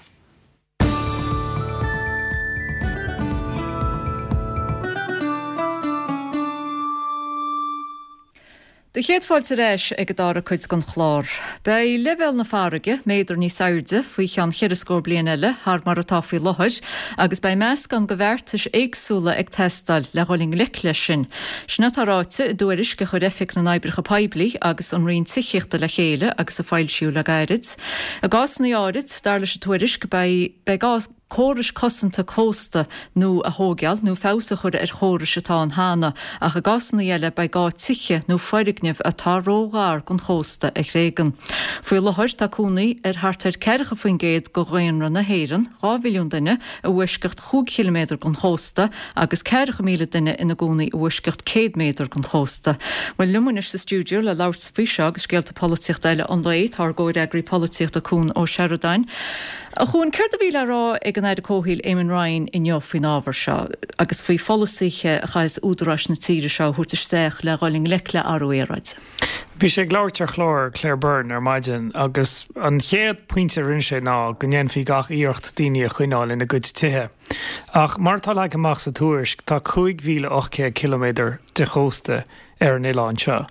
S1: Do chéad fáilte ar ais ag an dara cuid den chlár. Beidh leibhéal na farraige méadar níos airde faoi cheann cheithre scór bliain eile thar mar atá faoi láthair agus beidh meascán de bheartais éagsúla ag teastáil le dhul i ngleic leis sin. Sin atá ráite i dtuairisc a chuir Oifig na nOibreacha Poiblí agus an Roinn Tithíochta le chéile agus a foilsíodh le gairid. I gcásanna áirid, dar leis an tuairisc, beidh beidh gá córais cosanta cósta nua a thóigeáil nó feabhas a chur ar chórais atá ann cheana, ach i gcásanna eile beidh gá tithe nó foirgnimh atá ró-ghar don chósta a thréigean. Faoi láthair tá cónaí ar thart ar 40% de dhaonra na hÉireann, 2 mhilliún duine, i bhfoisceacht chúig chiliméadar den chósta, agus 40,000 duine ina gcónaí i bhfoisceacht 100 méadar den chósta. Bhuel, liom anois sa stiúideo le labhairt faoi seo agus scéalta polaitíochta eile an lae, tá ár gcomhfhreagraí polaitíochta Cuan Ó Seireadáin. A Chuain, céard a bhí le rá ag an Aire Comhshaoil Eamon Ryan inniu faoin ábhar seo agus faoi pholasaithe a chaithfeas údaráis na tíre seo a thabhairt isteach le dhul i ngleic le athrú aeráide?
S14: Bhí sé ag labhairt ar chlár Claire Byrne ar maidin agus an chéad pointe a rinne sé ná go ndéanfaí gach iarracht daoine a choinneáil ina gcuid tithe. Ach mar atá leagtha amach sa tuairisc, tá 5,800 ciliméadar de chósta ar an oileán seo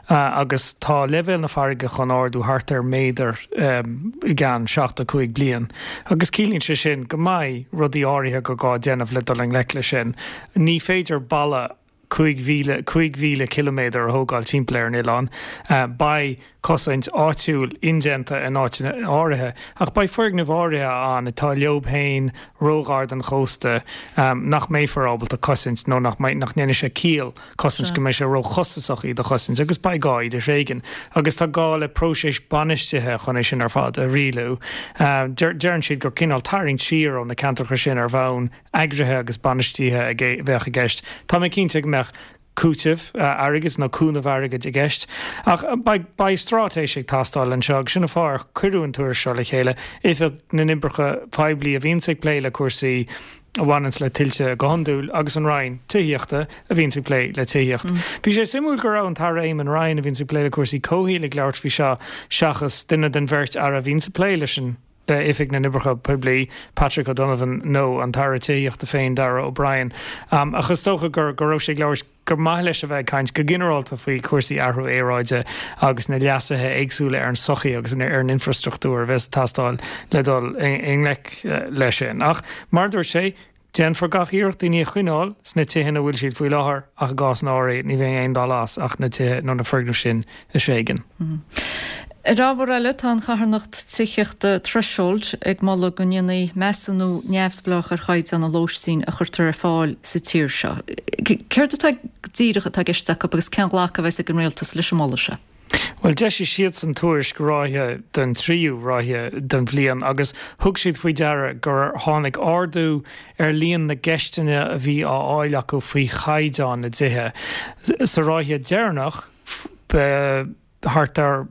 S14: agus tá leibhéal na farraige chun ardú thart ar méadar i gceann 75 bliain agus ciallaíonn sé sin go mbeidh rudaí áirithe gur gá déanamh le dul i ngleic leis sin. Ní féidir balla 5,000 5,000 ciliméadar a thógáil timpeall ar an oileán. Beidh cosaint áitiúil indéanta in áiteanna áirithe, ach beidh foirgnimh áirithe ann atá leob féin róghar don chósta nach mbeifear ábalta cosaint nó nach mbeidh, nach ndéanfaidh sé ciall cosaint, go mbeidh sé róchostasach iad a chosaint agus beidh gá iad a thréigean. Agus tá gá le próiseas bainistithe chun é sin ar fad a rialú. Deireann siad gur cineál tarraingt siar ó na ceantracha sin ar bhonn eagraithe agus bainistithe a bheadh i gceist. Tá mé cinnte go mbeadh cúiteamh airgid nó cúnamh airgid i gceist. Ach beidh, beidh straitéis ag teastáil anseo agus sin an fáth ar cuireadh an tuairisc seo le chéile. Oifig na nOibreacha Poiblí a bhíonns ag plé le cúrsaí a bhaineanns le tuilte go hiondúil agus an Roinn Tithíochta a bhíonns ag plé le tithíocht. Bhí sé suimiúil go raibh an tAire Eamon Ryan a bhíonns ag plé le cúrsaí comhshaoil ag labhairt faoi seo seachas duine den bheirt aire a bhíonns ag plé leis an le Oifig na nOibreacha Poiblí, Patrick O'Donovan, nó an tAire Tithíochta féin, Darragh O'Brien. Ach is dócha gur go raibh sé ag labhairt, gur maith leis a bheith ag caint go ginearálta faoi chúrsaí athrú aeráide agus na leasuithe éagsúla ar an sochaí agus ar an infrastruchtúr a bheas ag teastáil le dul i ngleic leis sin. Ach mar a dúirt sé, Déanfar gach iarracht daoine a choinneáil sna tithe ina bhfuil siad faoi láthair ach i gcásanna áirithe ní bheidh aon dul as ach na tithe nó na foirgnimh sin a thréigean.
S1: Ar ábhar eile, tá an charthanacht tithíochta Threshold ag moladh go ndéanfaí measúnú neamhspleách ar chaighdeán an lóistín a chuirtear ar fáil sa tír seo. Céard atá go díreach atá i gceist acu agus cén ghlacadh a bheas ag an Rialtas leis an moladh seo?
S14: Bhuel, d'eisigh siadsan tuairisc ráithe don tríú ráithe den bhliain agus thug siad faoi deara gur tháinig ardú ar líon na gceisteanna a bhí á fháil acu faoi chaighdeán na dtithe. Sa ráithe deireanach, ba thart ar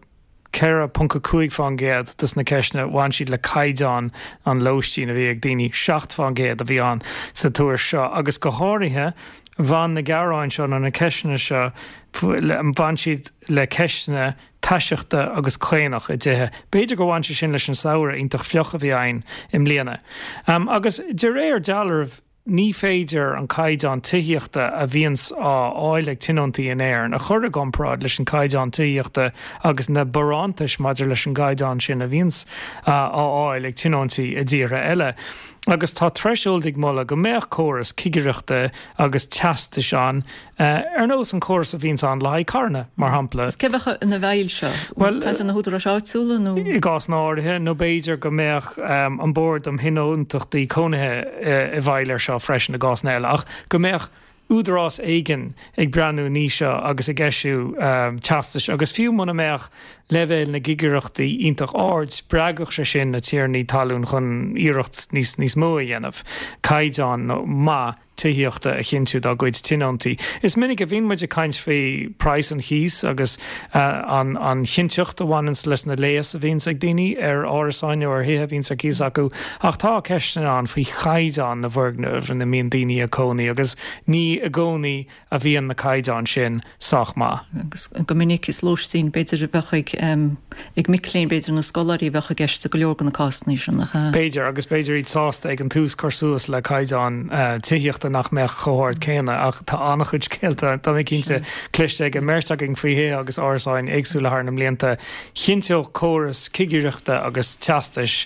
S14: 4.5% de na ceisteanna bhain siad le caighdeán an lóistín a bhí ag daoine, 7% a bhí ann sa tuairisc seo agus go háirithe. Bhain na gearáin seo nó na ceisteanna seo, bhain siad le ceisteanna taiseachta agus caonach i dtithe. B'fhéidir gur bhain sé sin leis an samhradh iontach fliuch a bhí againn i mbliana. Agus de réir dealraimh, ní féidir an caighdeán tithíochta a bhíonns á fháil ag tionóntaí in Éirinn a chur i gcomparáid leis an caighdeán tithíochta agus na barántais maidir leis an gcaighdeán sin a bhíonns á fháil ag tionóntaí i dtíortha eile. Agus tá Threshold ag moladh go mbeadh córas cigireachta agus teastais ann, ar nós an córas a bhíonns ann le haghaidh carranna, mar shampla.
S1: Is cé a bheadh ina bhfeighil seo?
S14: Bhuel,
S1: Caint ar na húdaráis áitiúla nó?
S14: I gcásanna áirithe, nó b'fhéidir go mbeadh an Bord um Thionóntachtaí Cónaithe i bhfeighil air seo freisin i gcásanna eile, ach go mbeadh údarás éigin ag breathnú an ní seo agus ag eisiú teastais agus fiú muna mbeadh leibhéal na gcigireachtaí iontach ard, spreagfadh sé sin na tiarnaí talún chun iarracht níos níos mó a dhéanamh caighdeán maith tithíochta a chinntiú dá gcuid tionóntaí. Is minic a bhíonn muid ag caint faoi praghas an chíos agus an an chinnteacht a bhaineanns leis na léas a bhíonns ag daoine ar árasáin nó ar thithe a bhíonns ar cíos acu ach tá ceisteanna ann faoi chaighdeán na bhfoirgneamh ina mbíonn daoine ag cónaí agus ní i gcónaí a bhíonn na caighdeáin sin sách maith.
S1: Agus go minic is lóistín b'fhéidir a bheadh ag ag mic léinn b'fhéidir nó scoláirí a bheadh i gceist i go leor de na cásanna sin, nach ea?
S14: B'fhéidir, agus b'fhéidir iad sásta ag an tús cur suas le caighdeán tithíochta nach mbeadh chomh hard céanna ach tá an-chuid scéalta, tá mé cinnte, cloiste ag an mbeirt againn faoi thithe agus árasáin éagsúla thar na mblianta. Chinnteodh córas cigireachta agus teastais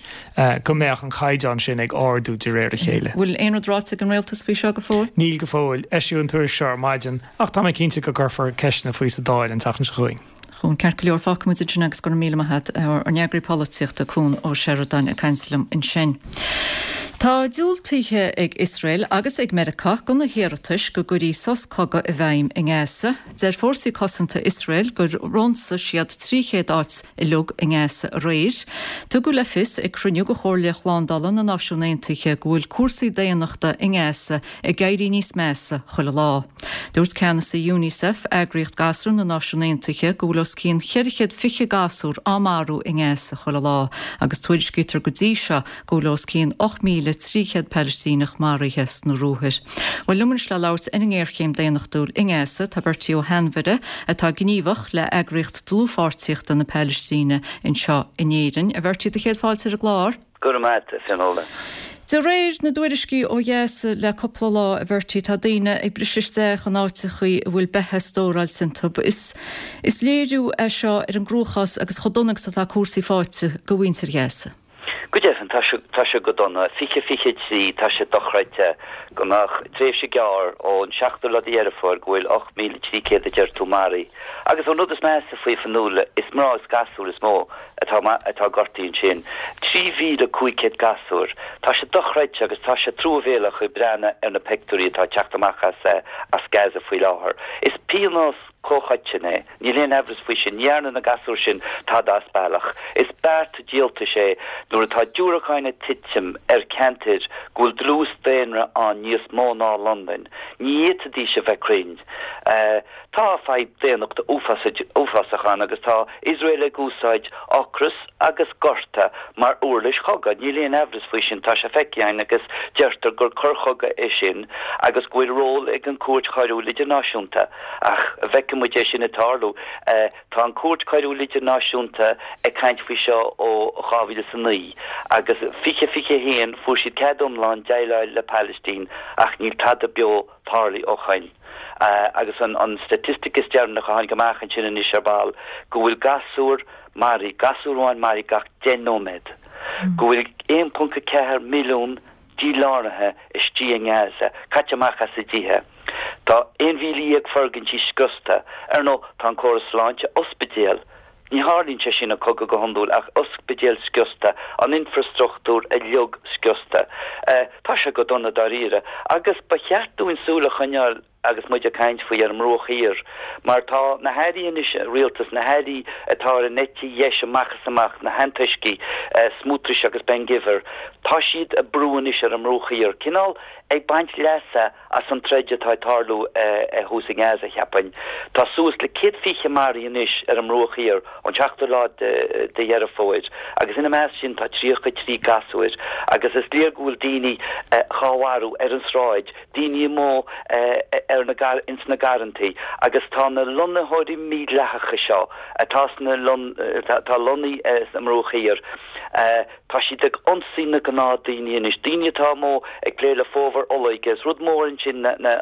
S14: go mbeadh an chaighdeán sin ag ardú de réir a chéile.
S1: Bhfuil aon rud ráite ag an Rialtas faoi seo go fóill?
S14: Níl go fóill. Eisíodh an tuairisc seo ar maidin ach tá mé cinnte go gcuirfear ceisteanna faoi sa Dáil an tseachtain seo chugainn.
S1: Chuan, Ceart go leor, fágfaidh muid ansin agus go raibh míle maith agat, ár n-eagraí polaitíochta, Cuan Ó Seireadáin ag caint liom ansin. Tá diúltaithe ag Iosrael agus ag Meiriceá do na hiarratais go gcuirfí sos cogaidh i bhfeidhm i nGaza. Deir fórsaí cosanta Iosrael gur ionsaigh siad 300 áit uilig i nGaza aréir. Tugadh le fios ag cruinniú de Chomhairle Shlándála na Náisiún Aontaithe go bhfuil cúrsaí daonnachta i nGaza ag éirí níos measa chuile lá. Dúirt ceannasaí Unicef, eagraíocht gasúr na Náisiún Aontaithe, go bhfuil os cionn 420 gasúr á marú i nGaza chuile lá agus tuairiscítear go dtí seo go bhfuil os cionn 8,300 Palaistíneach maraithe sna ruathair. Bhuel, liom anois le labhairt ar an ngéarchéim daonnachtúil i nGaza tá Bertie Ó hAinmhire, atá gníomhach le eagraíocht dlúthpháirtíochta na Palaistíne anseo in Éirinn. A Bhertie, do chéad fáilte ar an gclár.
S15: Go raibh maith agat, a Fionnuala.
S1: De réir na dtuairiscí ó Ghaza le cúpla lá, a Bhertie, tá daoine ag briseadh isteach in áiteachaí a bhfuil beatha stóráilte iontu. Is is léiriú é seo ar an gcruachás agus chomh dona agus atá cúrsaí faighte do mhuintir Ghaza.
S15: Go deimhin, tá sé, tá sé go dona. 20, 23, tá sé dochreidte go mbeadh tréimhse gearr ón seachtú lá de Dheireadh Fómhair go bhfuil 8,300 a deir tú maraithe. Agus an rud is measa faoi, a Fhionnuala, is mná is gasúir is mó atá, atá gortaithe ansin. 3,500 gasúr. Tá sé dochreidte agus tá sé truamhéalach ag breathnú ar na peictiúirí atá ag teacht amach as, as Gaza faoi láthair. Is pionós comhchoiteann é. Níl aon aimhreas faoi sin. Ní dhearna na gasúir sin tada as bealach. Is beart díoltais é nuair atá diúracáin ag titim ar cheantair go bhfuil dlús daonra ann níos mó ná Londain. Ní fhéadfaidís a bheith cruinn. Tá fadhb daonnachta uafásach ann agus tá Iosrael ag úsáid ocras agus gorta mar uirlis chogaidh. Níl aon aimhreas faoi sin. Tá sé feicthe againn agus deirtear gur coir chogaidh é sin agus go bhfuil ról ag an Chúirt Choiriúil Idirnáisiúnta. Ach an bhfeicfidh muid é sin ag tarlú. Tá an Chúirt Choiriúil Idirnáisiúnta ag caint faoi seo ó 2009 agus 2021 fuair siad cead iomlán déileáil le Palaistín ach níl tada beo tarlaithe ó shoin. Agus an staitistic is deireanach a tháinig amach ansin anois ar ball go bhfuil gasúr maraithe, gasúr amháin maraithe gach 10 nóiméad, go bhfuil 1.4 milliún díláraithe istigh i nGaza, caite amach as a dtithe. Tá 11,000 foirgintí scriosta. Ar ndóigh, tá an córas sláinte, ospidéal, ní tharlaíonn sé sin i cogadh go hiondúil, ach ospidéil scriosta, an infreastruchtúr uilig scriosta. Tá sé go dona dáiríre. Agus ba cheart dúinn súil a choinneáil agus muid ag caint faoi ar an mBruach Thiar, mar tá na hairí anois, rialtas, na hairí atá ar an eite dheis amach is amach, na hantoiscigh, Smotrich agus Ben Gvir, tá siad ag brú anois ar an mBruach Thiar, cineál ag baint leasa as an troid atá ag tarlú thuas i nGaza, cheapfainn. Tá suas le 120 maraithe anois ar an mBruach Thiar ón seachtú lá de Dheireadh Fómhair, agus ina measc sin tá 33 gasúir, agus is léir go bhfuil daoine dhá mharú ar an sráid. daoine amuigh. Ar na, ins na garrantaí agus tá na lonnaitheoirí mídhleathacha seo atá sna, atá lonnaithe sa mBruach Thiar, tá siad ag ionsaí na gnáthdaoine anois, daoine atá amuigh ag plé le fómhar olóige, is rud mór ansin na,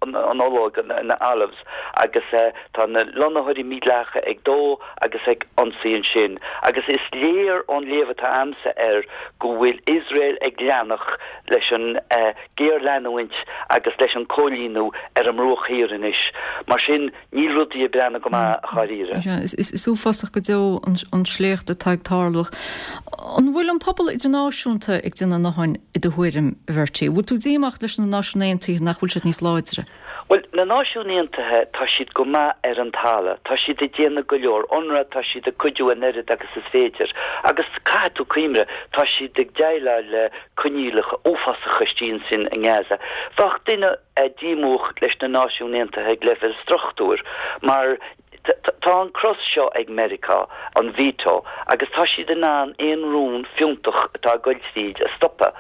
S15: an ológ, na olives, agus tá na lonnaitheoirí mídhleathacha ag dó agus ag ionsaí ansin. Agus is léir ón léamh atá a'msa air go bhfuil Iosrael ag leanacht leis an géarleanúint agus leis an cóilíniú ar an mBruach Thiar anois. Mar sin, níl rudaí ag breathnú go maith, a dháiríre.
S1: Is uafásach go deo an sléacht atá ag tarlú. An bhfuil an pobal idirnáisiúnta ag déanamh a ndóthain i do thuairim, a Bhertie? Bhfuil tú díomách leis na Náisiúin Aontaithe nach bhfuil siad níos láidre?
S15: Bhuel, na Náisiúin Aontaithe, tá siad go maith ar an talamh. Tá siad ag déanamh go leor. UNRWA, tá siad ag cuidiú an oiread agus is féidir. Agus caithfidh tú cuimhneamh, tá siad ag déileáil le coinníollacha uafásacha istigh ansin i nGaza. Bheadh duine díomúch leis na Náisiúin Aontaithe ag leibhéal struchtúir mar tá an cros seo ag Meiriceá, an veto, agus tá siad in ann aon rún fiúntach atá ag goil tríd a stopadh.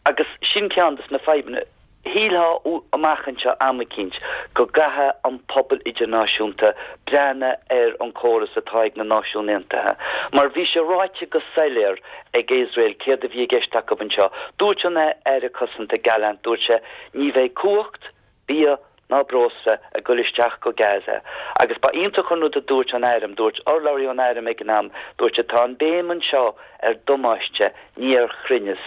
S15: Agus sin ceann de na fadhbanna. Shílfeá amach anseo am eicínt go gcaithfidh an pobal idirnáisiúnta breathnú ar an córas atá ag na Náisiúin Aontaithe. Mar bhí sé ráite go soiléir ag Iosrael céard a bhí i gceist acu anseo. Dúirt an Aire Cosanta Gallant, dúirt sé, ní bheidh cumhacht, bia ná breosla ag goil isteach go Gaza. Agus ba iontach an rud a dúirt an airm, dúirt urlabhraí ón airm ag an am, dúirt sé, tá an béim anseo ar damáiste, ní ar chruinneas.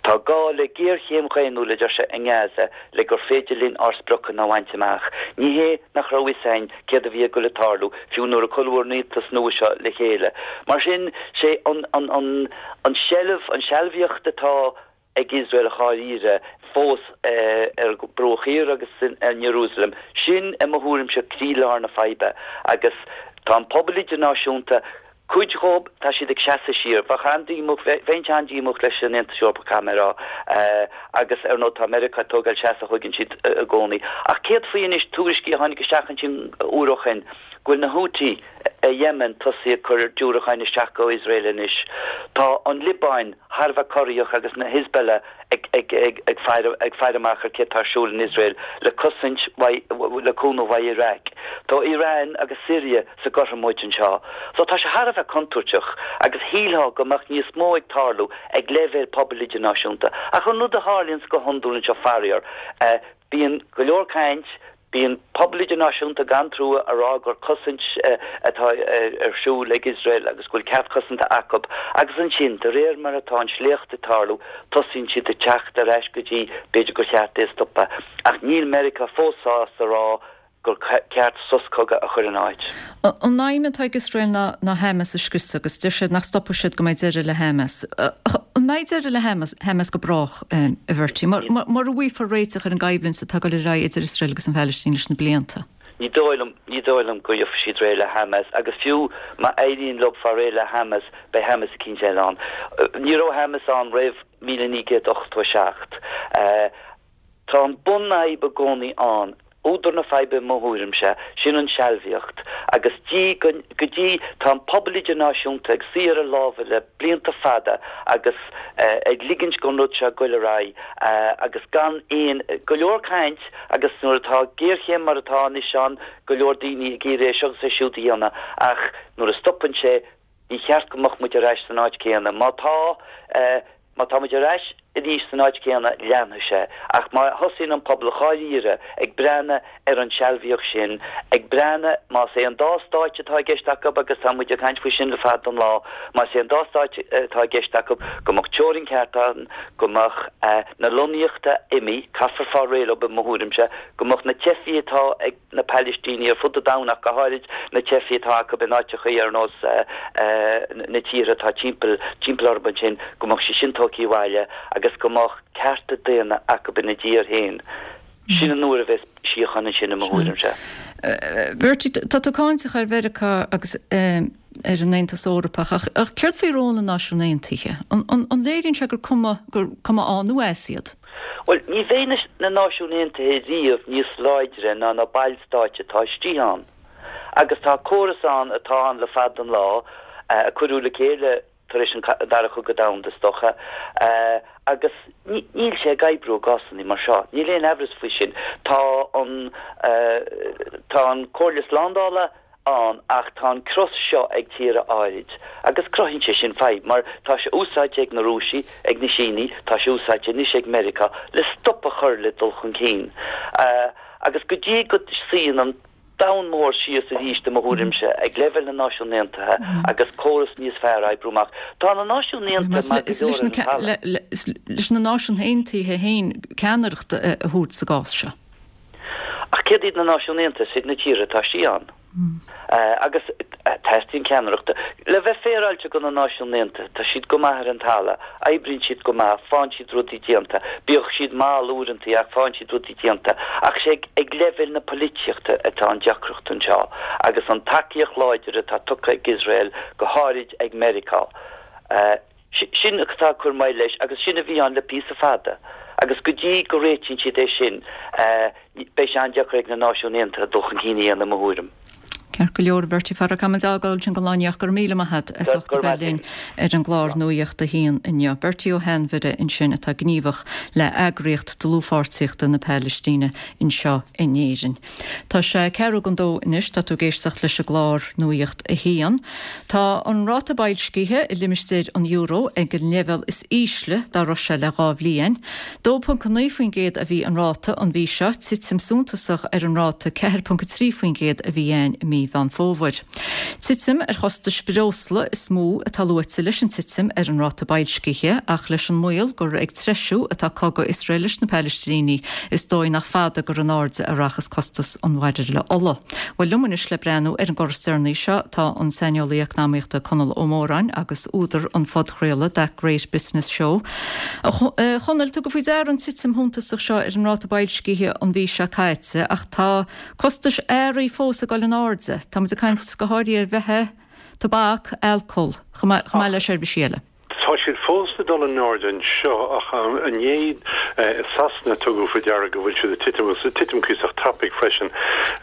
S15: Tá gá le géarchéim dhaonnúil, a deir sé, i nGaza le gur féidir linn ár spriocanna a bhaint amach. Ní hé nach raibh fhios a'inn céard a bhí ag goil ag tarlú, fiú nuair a cuireadh an rialtas nua seo le chéile. Mar sin, sé an an an an seilbh, an sealbhaíocht atá ag Iosrael dháiríre fós ar an Bruach Thiar agus in Iarúsailéim. Sin, i mo thuairimse, croílár na faidhbe agus tá an pobal idirnáisiúnta, cuid dhób, tá siad ag seasamh siar. Bheadh an-díomách, bheinnse an-díomách leis an Aontas Eorpach, caithfidh mé a rá, agus ar ndóigh tá Meiriceá ag tógáil seasamh a thuigeann siad i gcónaí. Ach céard faoi anois tuairiscí a tháinig isteach ansin uair ó shin go bhfuil na Houthi i Yemen tosaithe ag cur diúracáin isteach go Iosrael anois. Tá an Liobáin thar a bheith corraíoch agus na Hezbollah ag faire amach ar céard tá ar siúl in Iosrael le cosaint le cúnamh uaidh Iraq. Tá Iran agus Syria sa gcothromóid anseo. So tá sé thar a bheith contúirteach agus shílfeá go mbeadh níos mó ag tarlú ag leibhéal pobail idirnáisiúnta. Ach an rud a tharlaíonns go hiondúil anseo faraor, Bíonn go leor caint, bíonn pobal idirnáisiúnta gan trua a rá gur cosaint atá ar siúl ag Iosrael agus go bhfuil ceart cosanta acu agus ansin, de réir mar atá an sléacht ag tarlú, tosaíonn siad ag teacht ar ais go dtí b'fhéidir gur cheart é a stopadh. Ach níl Meiriceá fós sásta a rá gur ceart sos cogaidh a chur in áit.
S1: An aidhm atá ag Iosrael ná Hamas a scriosadh agus deir siad nach stopfaidh siad go mbeidh deireadh le Hamas. An mbeidh deireadh le Hamas go brách, a Bhertie, mura bhfaighfear réiteach ar an gcoimhlint atá ag dul ar aghaidh idir Iosrael agus an Phalaistín leis na blianta?
S15: Ní dóigh liom, ní dóigh liom go bhfaighidh siad réidh le Hamas agus fiú má éiríonn leo fáil réidh le Hamas, beidh Hamas eicínt eile ann. Ní raibh Hamas ann roimh 1987. Tá an bunfhadhb i gcónaí ann, údar na faidhbe i mo thuairimse, sin an sealbhaíocht. Agus dtí go, go dtí, tá an pobal idirnáisiúnta ag suí ar a lámha le blianta fada agus ag ligint don rud seo goil ar aghaidh agus gan aon, go leor caint agus nuair atá géarchéim mar atá anois ann, go leor daoine ag iarraidh é seo agus é siúd a dhéanamh ach nuair a stopann sé, ní cheart go mbeadh muid ar ais san áit céanna. Má tá, má tá muid ar ais arís san áit chéanna, leanfaidh sé. Ach má thosaíonn an pobal dháiríre ag breathnú ar an sealbhaíocht sin, ag breathnú, más é an dá stáit atá i gceist acu, agus tá muid ag caint faoi sin le fada an lá, más é an dá stáit atá i gceist acu, go mbeadh teorainn ceart ann, go mbeadh na lonnaíochta imithe, caithfear fáil réidh leo i mo thuairimse, go mbeadh na teifigh atá ag. na Palaistínigh ar fud an domhain ach go háirid na teifigh atá acu in áiteachaí ar nós na tíortha atá timpeall timpeall orthu ansin, go mbeadh siad sin tógtha abhaile agus go mbeadh cearta daonna acu ina dtír féin. Sin an uair a bheas síocháin ansin i mo thuairimse.
S1: Bertie, tá tú cáinteach ar Mheiriceá agus ar an Aontas Eorpach ach ach céard faoi ról na Náisiún Aontaithe? An léiríonn sé gur cuma gur cuma ann nó as iad?
S15: Bhuel, ní bheidh na Náisiúin Aontaithe riamh níos láidre ná na ballstáit atá istigh ann. Agus tá córas ann atá ann le fada an lá, a cuireadh le chéile. tar éis an Dara Cogadh Domhanda, is dócha, agus níl sé ag oibriú i gcásanna mar seo. Níl aon aimhreas faoi sin. Tá an, tá an Comhairle Slándála ann ach tá an cros seo ag tíortha áirid agus cruthaíonn sé sin fadhb mar tá sé úsáidte ag na Rúisigh, ag na Sínigh, tá sé úsáidte anois ag Meiriceá le stop a chur le dul chun cinn. Agus go dtí go suíonn an domhan mór síos arís, i mo thuairimse, ag leibhéal na Náisiún Aontaithe agus córas níos fearr a oibriú amach. Tá na Náisiúin Aontaithe maith go leor ar an talamh.
S1: Is leis na Náisiúin Aontaithe féin ceannaireacht a thabhairt sa gcás seo.
S15: Ach céard iad na Náisiúin Aontaithe? Is iad na tíortha atá istigh ann. Agus teastaíonn ceannaireacht. Le bheith féaráilte do na Náisiúin Aontaithe, tá siad go maith ar an talamh, oibríonn siad go maith, faigheann siad rudaí déanta, bíodh siad mall uaireanta ach faigheann siad rudaí déanta. Ach is é ag leibhéal na polaitíochta atá an deacracht anseo agus an tacaíocht láidir atá tugtha ag Iosrael, go háirid ag Meiriceá. Sin atá ag cur moill leis agus sin a bhí ann le píosa fada agus go dtí go réitíonn siad é sin beidh sé an-deacair ag na Náisiúin Aontaithe dul chun cinn a dhéanamh i mo thuairim.
S1: Ceart go leor, a Bhertie, caithfidh muid a fhágáil ansin don lá inniu ach go raibh míle maith agat as ucht a bheith linn ar an gclár Nuacht a hAon inniu. Bertie Ó hAinmhire ansin atá gníomhach le eagraíocht dlúthpháirtíochta na Palaistíne anseo in Éirinn. Tá sé ceathrú don dó anois, tá tú ag éisteacht leis an gclár Nuacht a hAon. Tá an ráta boilscithe i limistéar an euro ag an leibhéal is ísle dá raibh sé le 2 bhliain. 2.9% a bhí an ráta an mhí seo, titim suntasach ar an ráta 4.3% a bhí ann i mí Mheán Fómhair. Titim ar chostais breosla is mó atá luaite leis an titim ar an ráta boilscithe ach leis an mbaol gur ag treisiú atá cogadh Iosrael leis na Palaistínigh is dóigh nach fada gur in airde a rachas costas an bhairille ola. Bhuel liom anois le breathnú ar an gcor is deireanaí seo tá an saineolaí eacnamaíochta Conall Ó Móráin agus údar an phodchraoladh That Great Business Show. A Chonaill, tugadh faoi deara an titim shuntasach seo ar an ráta boilscithe an mhí seo caite ach tá costais earraí fós ag dul in airde. Tá muid ag caint go háirithe ar bheatha, tobac, alcól, chomh maith le seirbhísí eile.
S16: Tá siad fós ag dul in airde anseo ach inné i Sasana tugadh faoi deara go bhfuil siad ag titim agus ag titim cuíosach tapaidh freisin.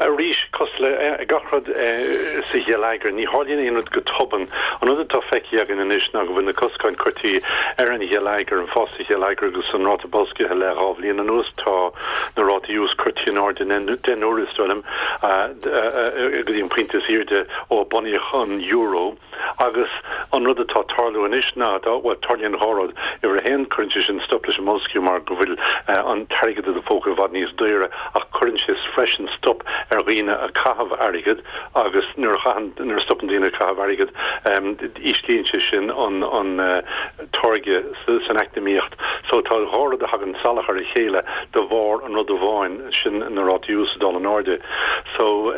S16: Arís, cosúil le gach rud sa gheilleagar, ní tharlaíonn aon rud go tobann. An rud atá feicthe againn anois ná go bhfuil na coscáin curtha ar an gheilleagar, an fás sa gheilleagar agus an ráta boilscithe le 2 bhliain anuas. Tá na rátaí úis curtha in airde 10 n-uaire, is dóigh liom, go dtí an pointe is airde ó bunaíodh an euro. Agus an rud atá ag tarlú anois ná, bhuel, tarlaíonn 2 rud. Uimhir a haon, cuireann sé sin stop leis an mboilsciú mar go bhfuil an t-airgead i do phóca i bhfad níos daoire ach cuireann sé freisin stop ar dhaoine ag caitheamh airgid agus nuair a chaitheann, nuair a stopann daoine ag caitheamh airgid, íslíonn sé sin an an táirgeadh san eacnamaíocht. So tá 2 rud a thagann salach ar a chéile de bharr an rud amháin, sin na rátaí úis ag dul in airde. So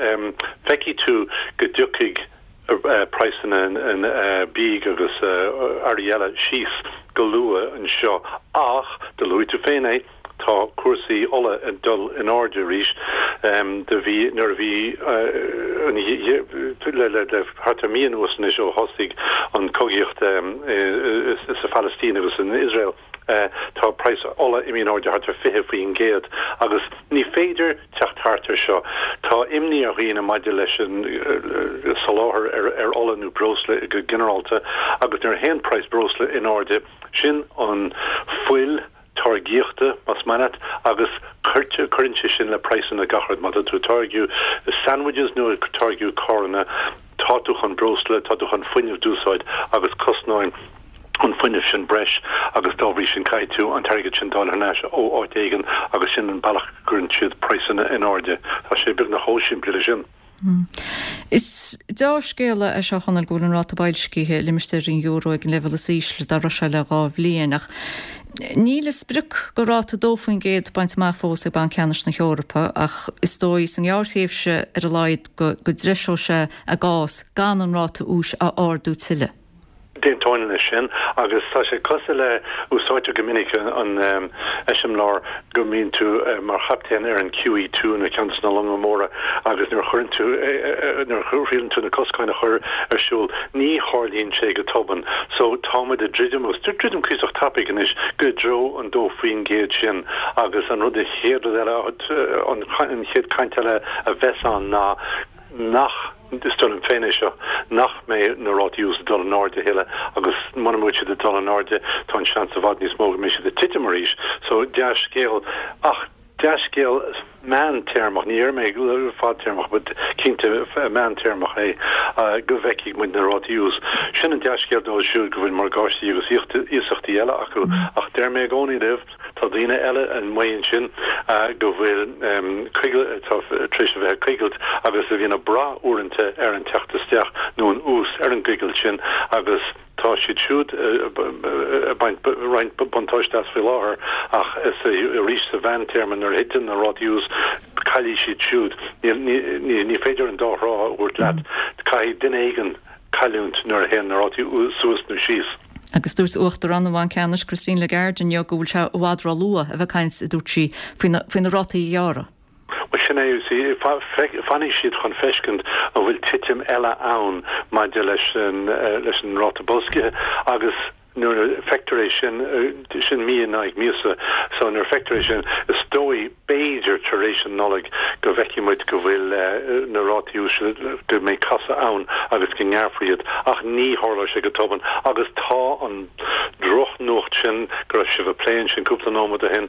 S16: feicfidh tú go dtiocfaidh. praghsanna bídh agus earraí eile síos go luath anseo ach, do luaigh tú féin é, tá cúrsaí ola ag dul in airde arís. Do bhí, nuair a bhí an, le le thart ar mí anuas anois ó thosaigh an cogaíocht sa Phalaistín agus in Iosrael, tá praghas ola imithe in airde thart ar 20% agus ní féidir teacht thart ar seo. Tá imní ar dhaoine maidir leis an soláthar ar ola nó breosla go ginearálta agus nuair a théann praghas breosla in airde, sin an fuil táirgíochta, más maith leat, agus cuireann sé sin le praghsanna gach rud. Má tá tú ag táirgiú sandwiches nó ag táirgiú carranna, tá tú chun breosla, tá tú chun fuinneamh d'úsáid agus cosnaíonn an fuinneamh sin breis agus dá bhrí sin caithfidh tú an t-airgead sin d'fháil thar n-ais ó áit éigin agus sin an bealach go gcuireann siad praghsanna in airde. Tá sé beagnach chomh simplí leis sin.
S1: Is deá-scéala é seo, a Chonaill, go bhfuil an ráta boilscithe i limistéar an euro ag an leibhéal is ísle dá raibh sé le 2 bhliain ach níl a sprioc de ráta 2% bainte amach fós ag Banc Ceannais na hEorpa ach is dóigh sa ngearrthréimhse ar a laghad go dtreiseoidh sé a gcás gan an ráta úis a ardú tuilleadh.
S16: D'aontóinn leis sin agus tá sé cosúil le, úsáidtear go minic an eiseamláir go mbíonn tú mar chaptaen ar an QE2 nó ceann de na longa móra agus nuair a chuireann tú, nuair a thriaileann tú na coscáin a chur ar siúl, ní tharlaíonn sé go tobann. So tá muid ag druidim, agus druidim cuíosach tapaidh anois, go dtreo an 2% sin agus an rud, an chéad rud eile, an chéad chaint eile a bheas ann ná nach. Is dóigh liom féin é seo, nach mbeidh na rátaí úis ag dul in airde a thuilleadh agus muna bhfuil siad ag dul in airde tá an seans i bhfad níos mó go mbeidh siad ag titim arís. So, dea-scéal ach dea-scéal meántéarmach, ní déarfaidh mé fadtéarmach but cinnte meántéarmach é go bhfeicfidh muid na rátaí úis. Sin an dea-scéal dóibh siúd go bhfuil morgáistí agus iasachtaí eile acu ach deir mé i gcónaí libh, Tá daoine eile amuigh ansin go bhfuil coigilt, atá tar éis a bheith ag coigilt agus a bhíonn ag brath uaireanta ar an teacht isteach nó an ús ar an gcoigilt sin agus tá siad siúd ag baint roinnt buntáiste as faoi láthair ach is arís sa mheántéarma nuair a thiteann na rátaí ús caillfidh siad siúd. Ní féidir an dá thrá a thabhairt leat. Caithfidh duine éigin cailliúint nuair a théann na rátaí suas nó síos.
S1: Agus dúirt Uachtarán an Bhainc Ceannais, Christine Lagarde inniu go bhfuil sé i bhfad ró-luath a bheith ag caint, a dúirt sí, faoi na rátaí a ghearradh.
S16: Bhuel, sin é, you see, fanfaidh siad chun feiscint an bhfuil titim eile ann maidir leis an ráta boilscithe agus nuair a feictear é sin, sin mí in aghaidh míosa, so nuair a feictear é sin, is dóigh, b'fhéidir tar éis an Nollaig go bhfeicfidh muid go bhfuil na rátaí úis, go mbeidh casadh ann agus go ngearrfar iad ach ní tharlóidh sé go tobann agus tá an drochnuacht sin go raibh sibh ag plé ansin cúpla nóiméad ó shin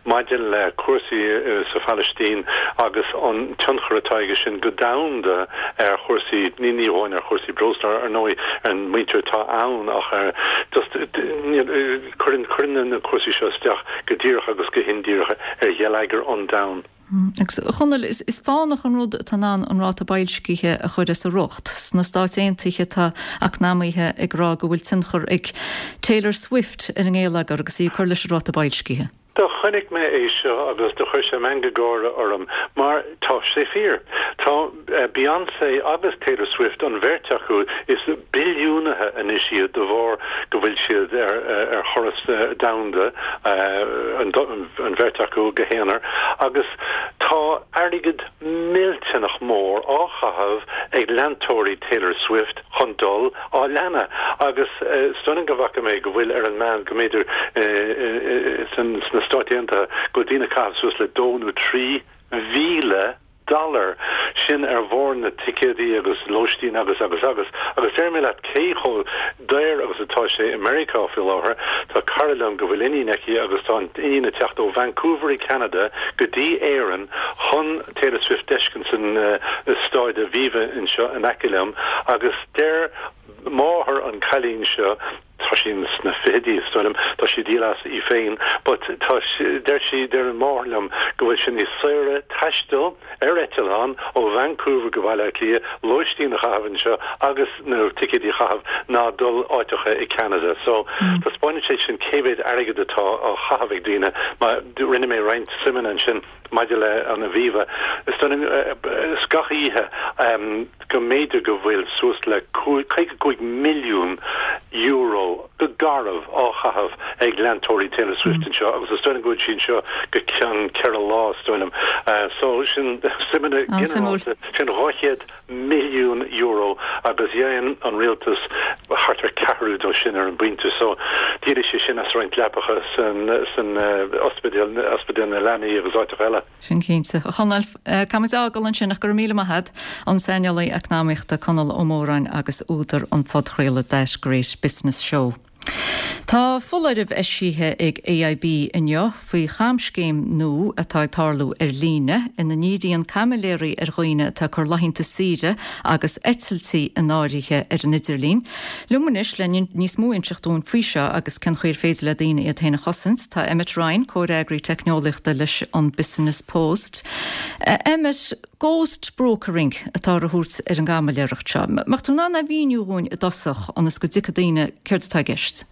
S16: maidir le cúrsaí sa Phalaistín agus an tionchar atá aige sin go domhanda ar chúrsaí, ní ní amháin ar chúrsaí breosla ar ndóigh ar an muintir atá ann ach ar just Cuireann cuireann na cúrsaí seo isteach go díreach agus go hindíreach ar gheilleagar an domhain.
S1: Agus, a Chonaill, is fánach an rud atá in ann an ráta boilscithe a chur as a riocht. Sna Stáit Aontaithe tá eacnamaithe ag rá go bhfuil tionchar ag Taylor Swift ar an ngeilleagar agus í ag cur leis an ráta boilscithe.
S16: Do chonaic mé é seo agus do chuir sé meangadh gáire orm mar tá sé fíor. Tá Beyoncé agus Taylor Swift, an bheirt acu, is billiúnaithe anois iad de bharr go bhfuil siad ar thuras domhanda, an bheirt acu go haonar, agus tá airgead millteanach mór á chaitheamh ag leantóirí Taylor Swift chun dul á leanadh agus is dóigh liom go bhfaca mé go bhfuil ar an meán go mb'fhéidir sna Stáit Aontaithe go bhfuil daoine ag caitheamh suas le dó nó 3,000 dollar, sin ar bharr na ticéadaí agus lóistín agus agus agus. Agus déarfaidh mé leat cé chomh daor agus atá sé i Meiriceá faoi láthair, tá cara liom go bhfuil iníon aici agus tá an iníon ag teacht ó Vancouver i Ceanada go dtí Éirinn chun Taylor Swift d'fheiscint san staid Aviva anseo in aice liom agus deir máthair an cailín seo, tá sí sna fichidí is dóigh liom, tá sí ag díol as í féin, but tá, deir sí, deir an mháthair liom go bhfuil sé níos saoire taisteal ar eitleán ó Vancouver go Baile Átha Cliath, lóistín a chaitheamh anseo agus na ticéidí a chaitheamh ná dul áiteacha i Ceanada. So taispeánann sé sin cé mhéad airgead atá á chaitheamh ag daoine. Má, rinne mé roinnt suimeanna ansin maidir le an Aviva, is dóigh liom, is gach oíche, go mb'fhéidir go bhfuil suas le €55 milliún go garbh á chaitheamh ag leantóirí Taylor Swift anseo agus is dóigh liom go bhfuil sí anseo go ceann ceithre lá, is dóigh liom. So, sin suimeanna ginearálta, sin €200 milliún agus dhein an rialtas thart ar ceathrú dó sin ar an bpointe. So, d'éirigh sé sin as roinnt leapacha san ospidéal, ospidéal na leanaí agus áiteacha eile.
S1: Sin cinnte. A Chonaill, caithfimid a fhágáil ansin ach go raibh míle maith a't, an saineolaí eacnamaíochta Conall Ó Móráin agus údar an phodchraoladh That Great Business Show. Tá foláireamh eisithe ag AIB inniu faoi chamscéim nua atá ag tarlú ar líne ina ndíríonn caimiléirí ar dhaoine atá ag cur laethanta saoire agus eitiltí in áirithe ar an idirlíon. Liom anois le níos mó a inseacht dúinn faoi seo agus cén chaoi ar féidir le daoine iad féin a chosaint, tá Emmet Ryan, Comhfhreagraí Teicneolaíochta leis an Business Post. Emmet, ghost brokering atá á thabhairt ar an gcaimiléireacht seo. Mbeadh tú in ann é a mhíniú dhúinn i dtosach ionas go dtuigfidh daoine céard atá i gceist?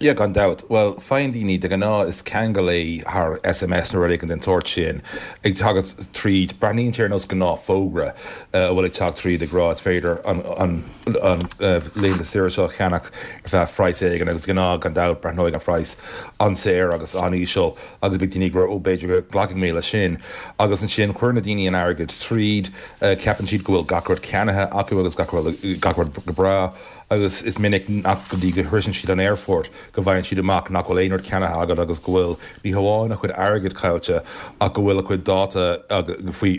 S17: Yeah, gan dabht. Bhuel, faigheann daoine, de ghnáth is ceangal é thar SMS nó rud éigin den tsórt sin, ag teacht tríd, breathnaíonn sé ar nós gnáth-fhógra a bhfuil ag teacht tríd ag rá is féidir an laethanta saoire seo a cheannach ar feadh phraghas éigin agus de ghnáth, gan dabht, breathnóidh an phraghas an-saor agus an-íseal agus beidh daoine ag rá ó b'fhéidir go nglacfaidh mé leis sin agus ansin cuireann na daoine an airgead tríd, ceapann siad go bhfuil gach rud ceannaithe acu agus gach rud go breá. agus is minic nach go dtí go shroiseann siad an aerfort. go bhfaigheann siad amach nach bhfuil aon rud ceannaithe agat agus go bhfuil ní hamháin a chuid airgid caillte ach go bhfuil a chuid dáta faoi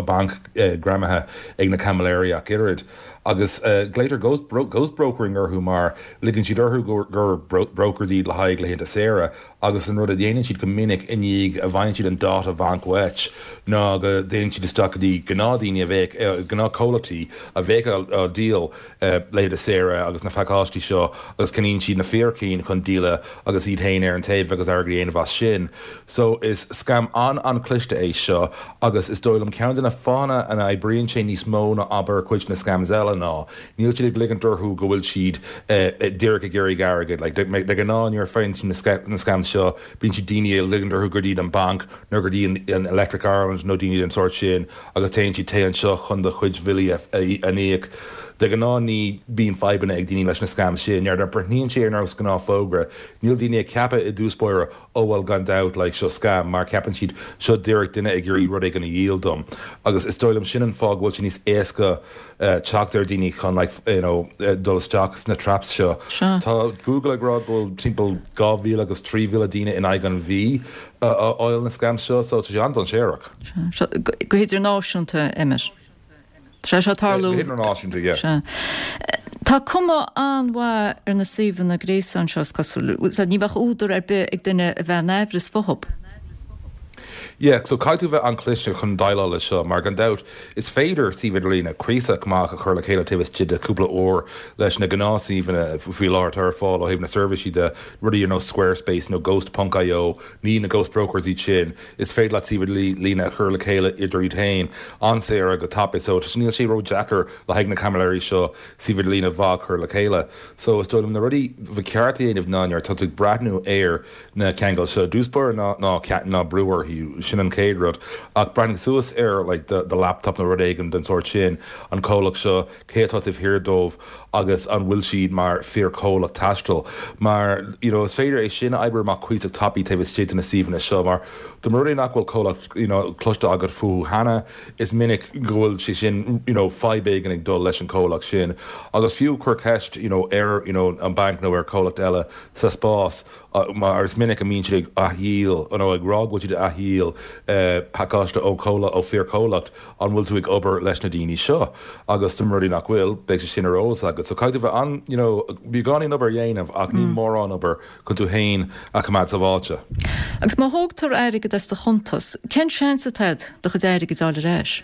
S17: banc greamaithe ag na caimiléirí ach oiread. Agus glaotar ghost ghost brokering orthu mar ligeann siad orthu gur brokers iad le haghaidh laethanta saoire agus an rud a dhéanann siad go minic i ndiaidh a bhfaigheann siad an dáta bhanc uait ná go dtéann siad isteach go dtí gnáthdaoine a bheadh, gnáthchomhlachtaí a bheadh á díol laethanta saoire agus na pacáistí seo agus ceannaíonn siad na fíor chinn chun díola agus iad féin ar an taobh agus airgead a dhéanamh as sin. So is scam an-an-chliste é seo agus is dóigh liom ceann de na fáthanna a n-oibríonn sé níos mó ná abair cuid de na scams eile ná níl siad ag ligint orthu go bhfuil siad díreach ag iarraidh airgead. Like de ghnáth nuair a faigheann tú na scams seo bíonn siad daoine ag ligint orthu gurb iad an banc nó gurb iad an Electric Ireland nó daoine den sórt sin agus téann siad téigh anseo chun do chuid bhillí a íoc. De ghnáth ní bíonn fadhbanna ag daoine leis na scams sin. Nuair a breathnaíonn sé ar nós gnáth fógra níl daoine ag ceapadh i dtús báire oh well gan dabht like seo scam mar ceapann siad seo díreach duine ag iarraidh rud éigin a dhíol dom agus is dóigh liom sin an fáth go bhfuil sé níos éasca teacht ar daoine chun like you know dul isteach sna traps seo. Tá Google ag rá go bhfuil timpeall 2,000 agus 3,000 daoine in aghaidh an mhí a fháil na scams seo so tá sé an-dainséarach.
S1: Sea, go hidirnáisiúnta, Emmet. Tá sé seo ag tarlú.
S17: Go hidirnáisiúnta, yeah.
S1: Sea. Tá cuma an-mhaith ar na suíomhanna gréasáin seo, is cosúil. Ní bheadh údar ar bith ag duine a bheith in aimhreas fúthu.
S17: Yeah, so caithfidh tú bheith an-chliste chun déileáil leis seo, mar gan dabht, is féidir suíomh idirlíne cuíosach maith a chur le chéile taobh istigh de chúpla uair leis na gnáthshuíomhanna faoi láthair atá ar fáil ó thaobh na seirbhísí de, rudaí ar nós Squarespace nó Ghost ponc io, ní na ghost brokers iad sin, is féidir leat suíomh idirlíne a chur le chéile idir iad féin an-saor go tapaidh so níl sé ró-deacair le haghaidh na caimiléirí seo suíomh idirlíne mhaith a chur le chéile. So is dóigh liom na rudaí ba cheart a dhéanamh ná nuair atá tú ag breathnú ar na ceangail seo. I dtús báire ná ná ná brú orthu, sin an chéad rud. Ach breathnaigh suas ar like do do laptop nó rud éigin den sórt sin, an comhlacht seo, cé atá taobh thiar dóibh agus an bhfuil siad mar fíor-chomhlacht taistil. Mar you know is féidir é sin a oibriú amach cuíosach tapaidh taobh istigh de na suíomhanna seo mar dá mba rud é nach bhfuil comhlacht you know cloiste agat fúthu cheana, is minic go bhfuil sé sin you know fadhb éigin ag dul leis an chomhlacht sin. Agus fiú cuir ceist you know ar you know an banc nó ar chomhlacht eile sa spás mar is minic a mbíonn siad ag athdhíol nó ag rá go bhfuil siad ag athdhíol pacáiste ó chomhlacht, ó fíorchomhlacht, an bhfuil tú ag obair leis na daoine seo? Agus dá mba rud é nach bhfuil, beidh sé sin ar eolas agat. So caithfidh tú bheith an, you know, beagáinín obair a dhéanamh ach ní mórán obair chun tú féin a choimeád sábháilte.
S1: Agus má thógtar airgead as do chuntas, cén seans atá agat do chuid airgid a fháil ar ais?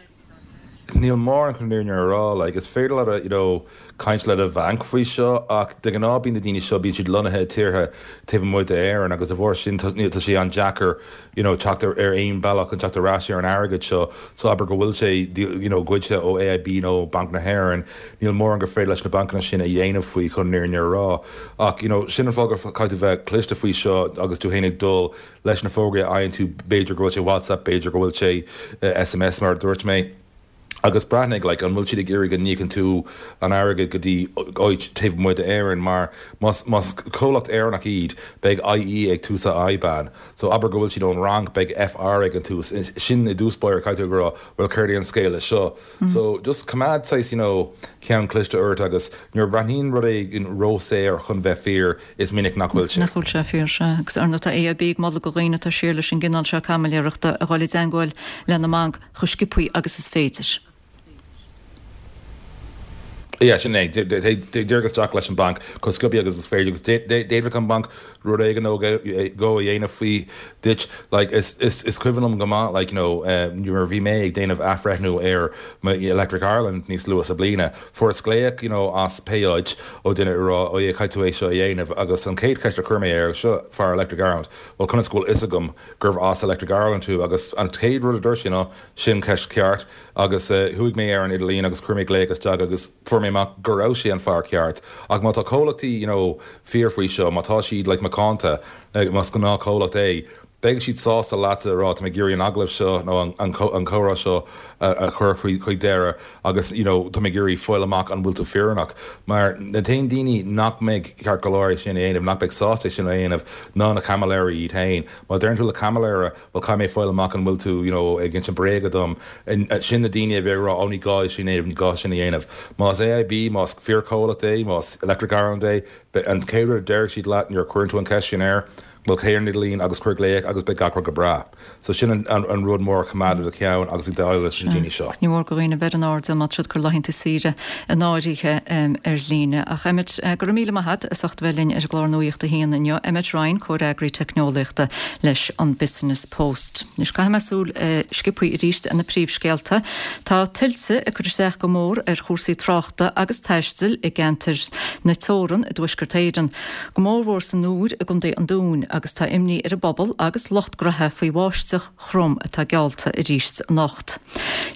S17: Níl mórán chun an fhírinne a rá, like, is féidir leat, you know, caint le do bhanc faoi seo ach de ghnáth bíonn na daoine seo, bíonn siad lonnaithe i tíortha taobh amuigh d'Éirinn agus de bharr sin tá, tá sé an-deacair, you know, teacht ar, ar aon bealach chun teacht ar ais ar an airgead seo. So abair go bhfuil sé, you know, goidte ó AIB nó Banc na hÉireann, níl mórán gur féidir leis na bancanna sin a dhéanamh faoi chun an fhírinne a rá. Ach, you know, sin an fáth gur caithfidh tú bheith cliste faoi seo agus tú féin ag dul Leis na fógraí a fhaigheann tú, b'fhéidir go bhfuil sé WhatsApp, b'fhéidir go bhfuil sé SMS mar a dúirt mé, agus breathnaigh, like, an bhfuil siad ag iarraidh go n-íocann tú an airgead go dtí áit taobh amuigh d'Éirinn mar más, más comhlacht Éireannach iad, beidh IE ag tús a IBAN. So abair go bhfuil siad ón Fhrainc, beidh FR ag an tús. Sin i dtús báire caithfidh tú ag rá, bhuel céard é an scéal leis seo? So just coimeád saghas, you know, ceann cliste ort agus nuair a breathnaíonn rud éigin róshaor chun bheith fíor, Is minic nach bhfuil sé.
S1: Nach bhfuil sé fíor, sea. Agus ar ndóigh tá AIB ag moladh do dhaoine atá siar leis an gcineál seo caimiléireachta a dhul i dteangmháil lena mbanc chomh sciobthaí agus is féidir.
S17: Yeah, sin é. Téigh díreach isteach leis an banc chomh sciobthaí agus is féidir agus d'fhéadfadh an banc rud éigin nó dhó a dhéanamh faoi duit. Like, is, is, is cuimhin liom go maith, like, you know, nuair a bhí mé ag déanamh athbhreithniú ar mo Electric Ireland níos luath sa bliana, Fuaireas glaoch, you know, as pé áit ó duine ag rá, oh yeah, caithfidh tú é seo a dhéanamh agus an chéad cheist a chuir mé air, seo fear Electric Ireland, bhuel conas go bhfuil fhios agam gurbh as Electric Ireland tú agus an chéad rud a dúirt sé ná, sin ceist ceart agus chuaigh mé ar an idirlíon agus chuir mé glaoch isteach agus fuair mé amach go raibh sé an fear ceart ach má tá comhlachtaí, you know, fíor faoi seo, má tá siad like macánta, más gnáth chomhlacht é. Beidh siad sásta leatsa a rá, tá mé ag iarraidh an agallamh seo nó an comhrá seo a chur chuig deireadh agus you know tá mé ag iarraidh fáil amach an bhfuil tú fírinneach. Mar na t-aon daoine nach mbeidh ceart go leor é sin a dhéanamh, nach mbeidh sásta é sin a dhéanamh ná na caimiléirí iad féin. Má deireann tú le caimiléara, bhuel caithfidh mé fáil amach an bhfuil tú you know ag insint bréaga dom, sin na daoine a bheidh ag rá oh ní gá é sin a dhéanamh, ní gá sin a dhéanamh. Más AIB, más fíorchomhlacht é, más Electric Ireland é, an chéad rud a déarfaidh siad leat nuair a chuireann tú an cheist sin air, Bhuel, téigh ar an idirlíon agus cuir glaoch agus beidh gach rud go breá. So sin an rud mór a choimeád i do cheann agus ag déileáil leis na daoine seo.
S1: Ní mór do dhaoine bheith ar an airdeall má tá siad ag cur laethanta saoire in áirithe ar líne. Ach Emmet, go raibh míle maith agat as ucht a bheith linn ar an gclár Nuacht a hAon inniu. Emmet Ryan, Comhfhreagraí Teicneolaíochta leis an Business Post. Anois caithfidh mé súil sciobthaí arís ar na príomhscéalta. Tá tuilte ag cur isteach go mór ar chúrsaí tráchta agus taistil i gceantair na teorann i dTuaisceart Éireann. go mórmhór san Iúr i gContae an Dúin, agus tá imní ar an bpobal agus lucht graithe faoi bháisteach throm atá geallta arís anocht.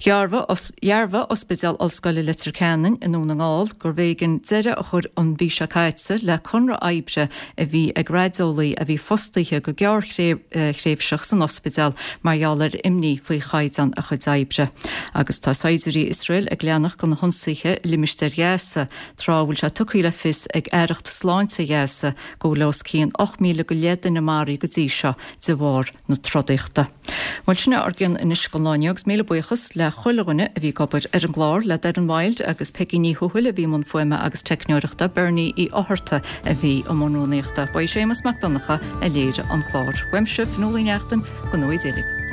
S1: Dhearbhaigh Ospidéal Ollscoile Leitir Ceanainn i nDún na nGall gurbh éigean deireadh a chur an mhí seo caite le conradh oibre a bhí ag raideolaí a bhí fostaithe go gearrthréimhseach san ospidéal mar gheall ar imní faoi chaighdeán a chuid oibre. Agus tá saighdiúirí Iosrael ag leanacht de na hionsaithe i limistéar Ghaza tráth a bhfuil sé tugtha le fios ag Aireacht Sláinte Ghaza go bhfuil os cionn 8,000 go leith duine maraithe go dtí seo de bharr na trodaíochta. Bhuel, sin é ár gcion anois don lá inniu agus míle buíochas le chuile dhuine a bhí ag obair ar an gclár, le Doireann Wilde agus Peigí Ní Thuathail a bhí i mbun fuaime agus teicneoireachta, Bernie Uí Fhátharta a bhí i mbun rúnaíochta. Ba é Séamus Mac Donncha a léirigh an clár. Uaimse, Fionnuala Uí Neachtain, go ngnóthaí Dia dhaoibh.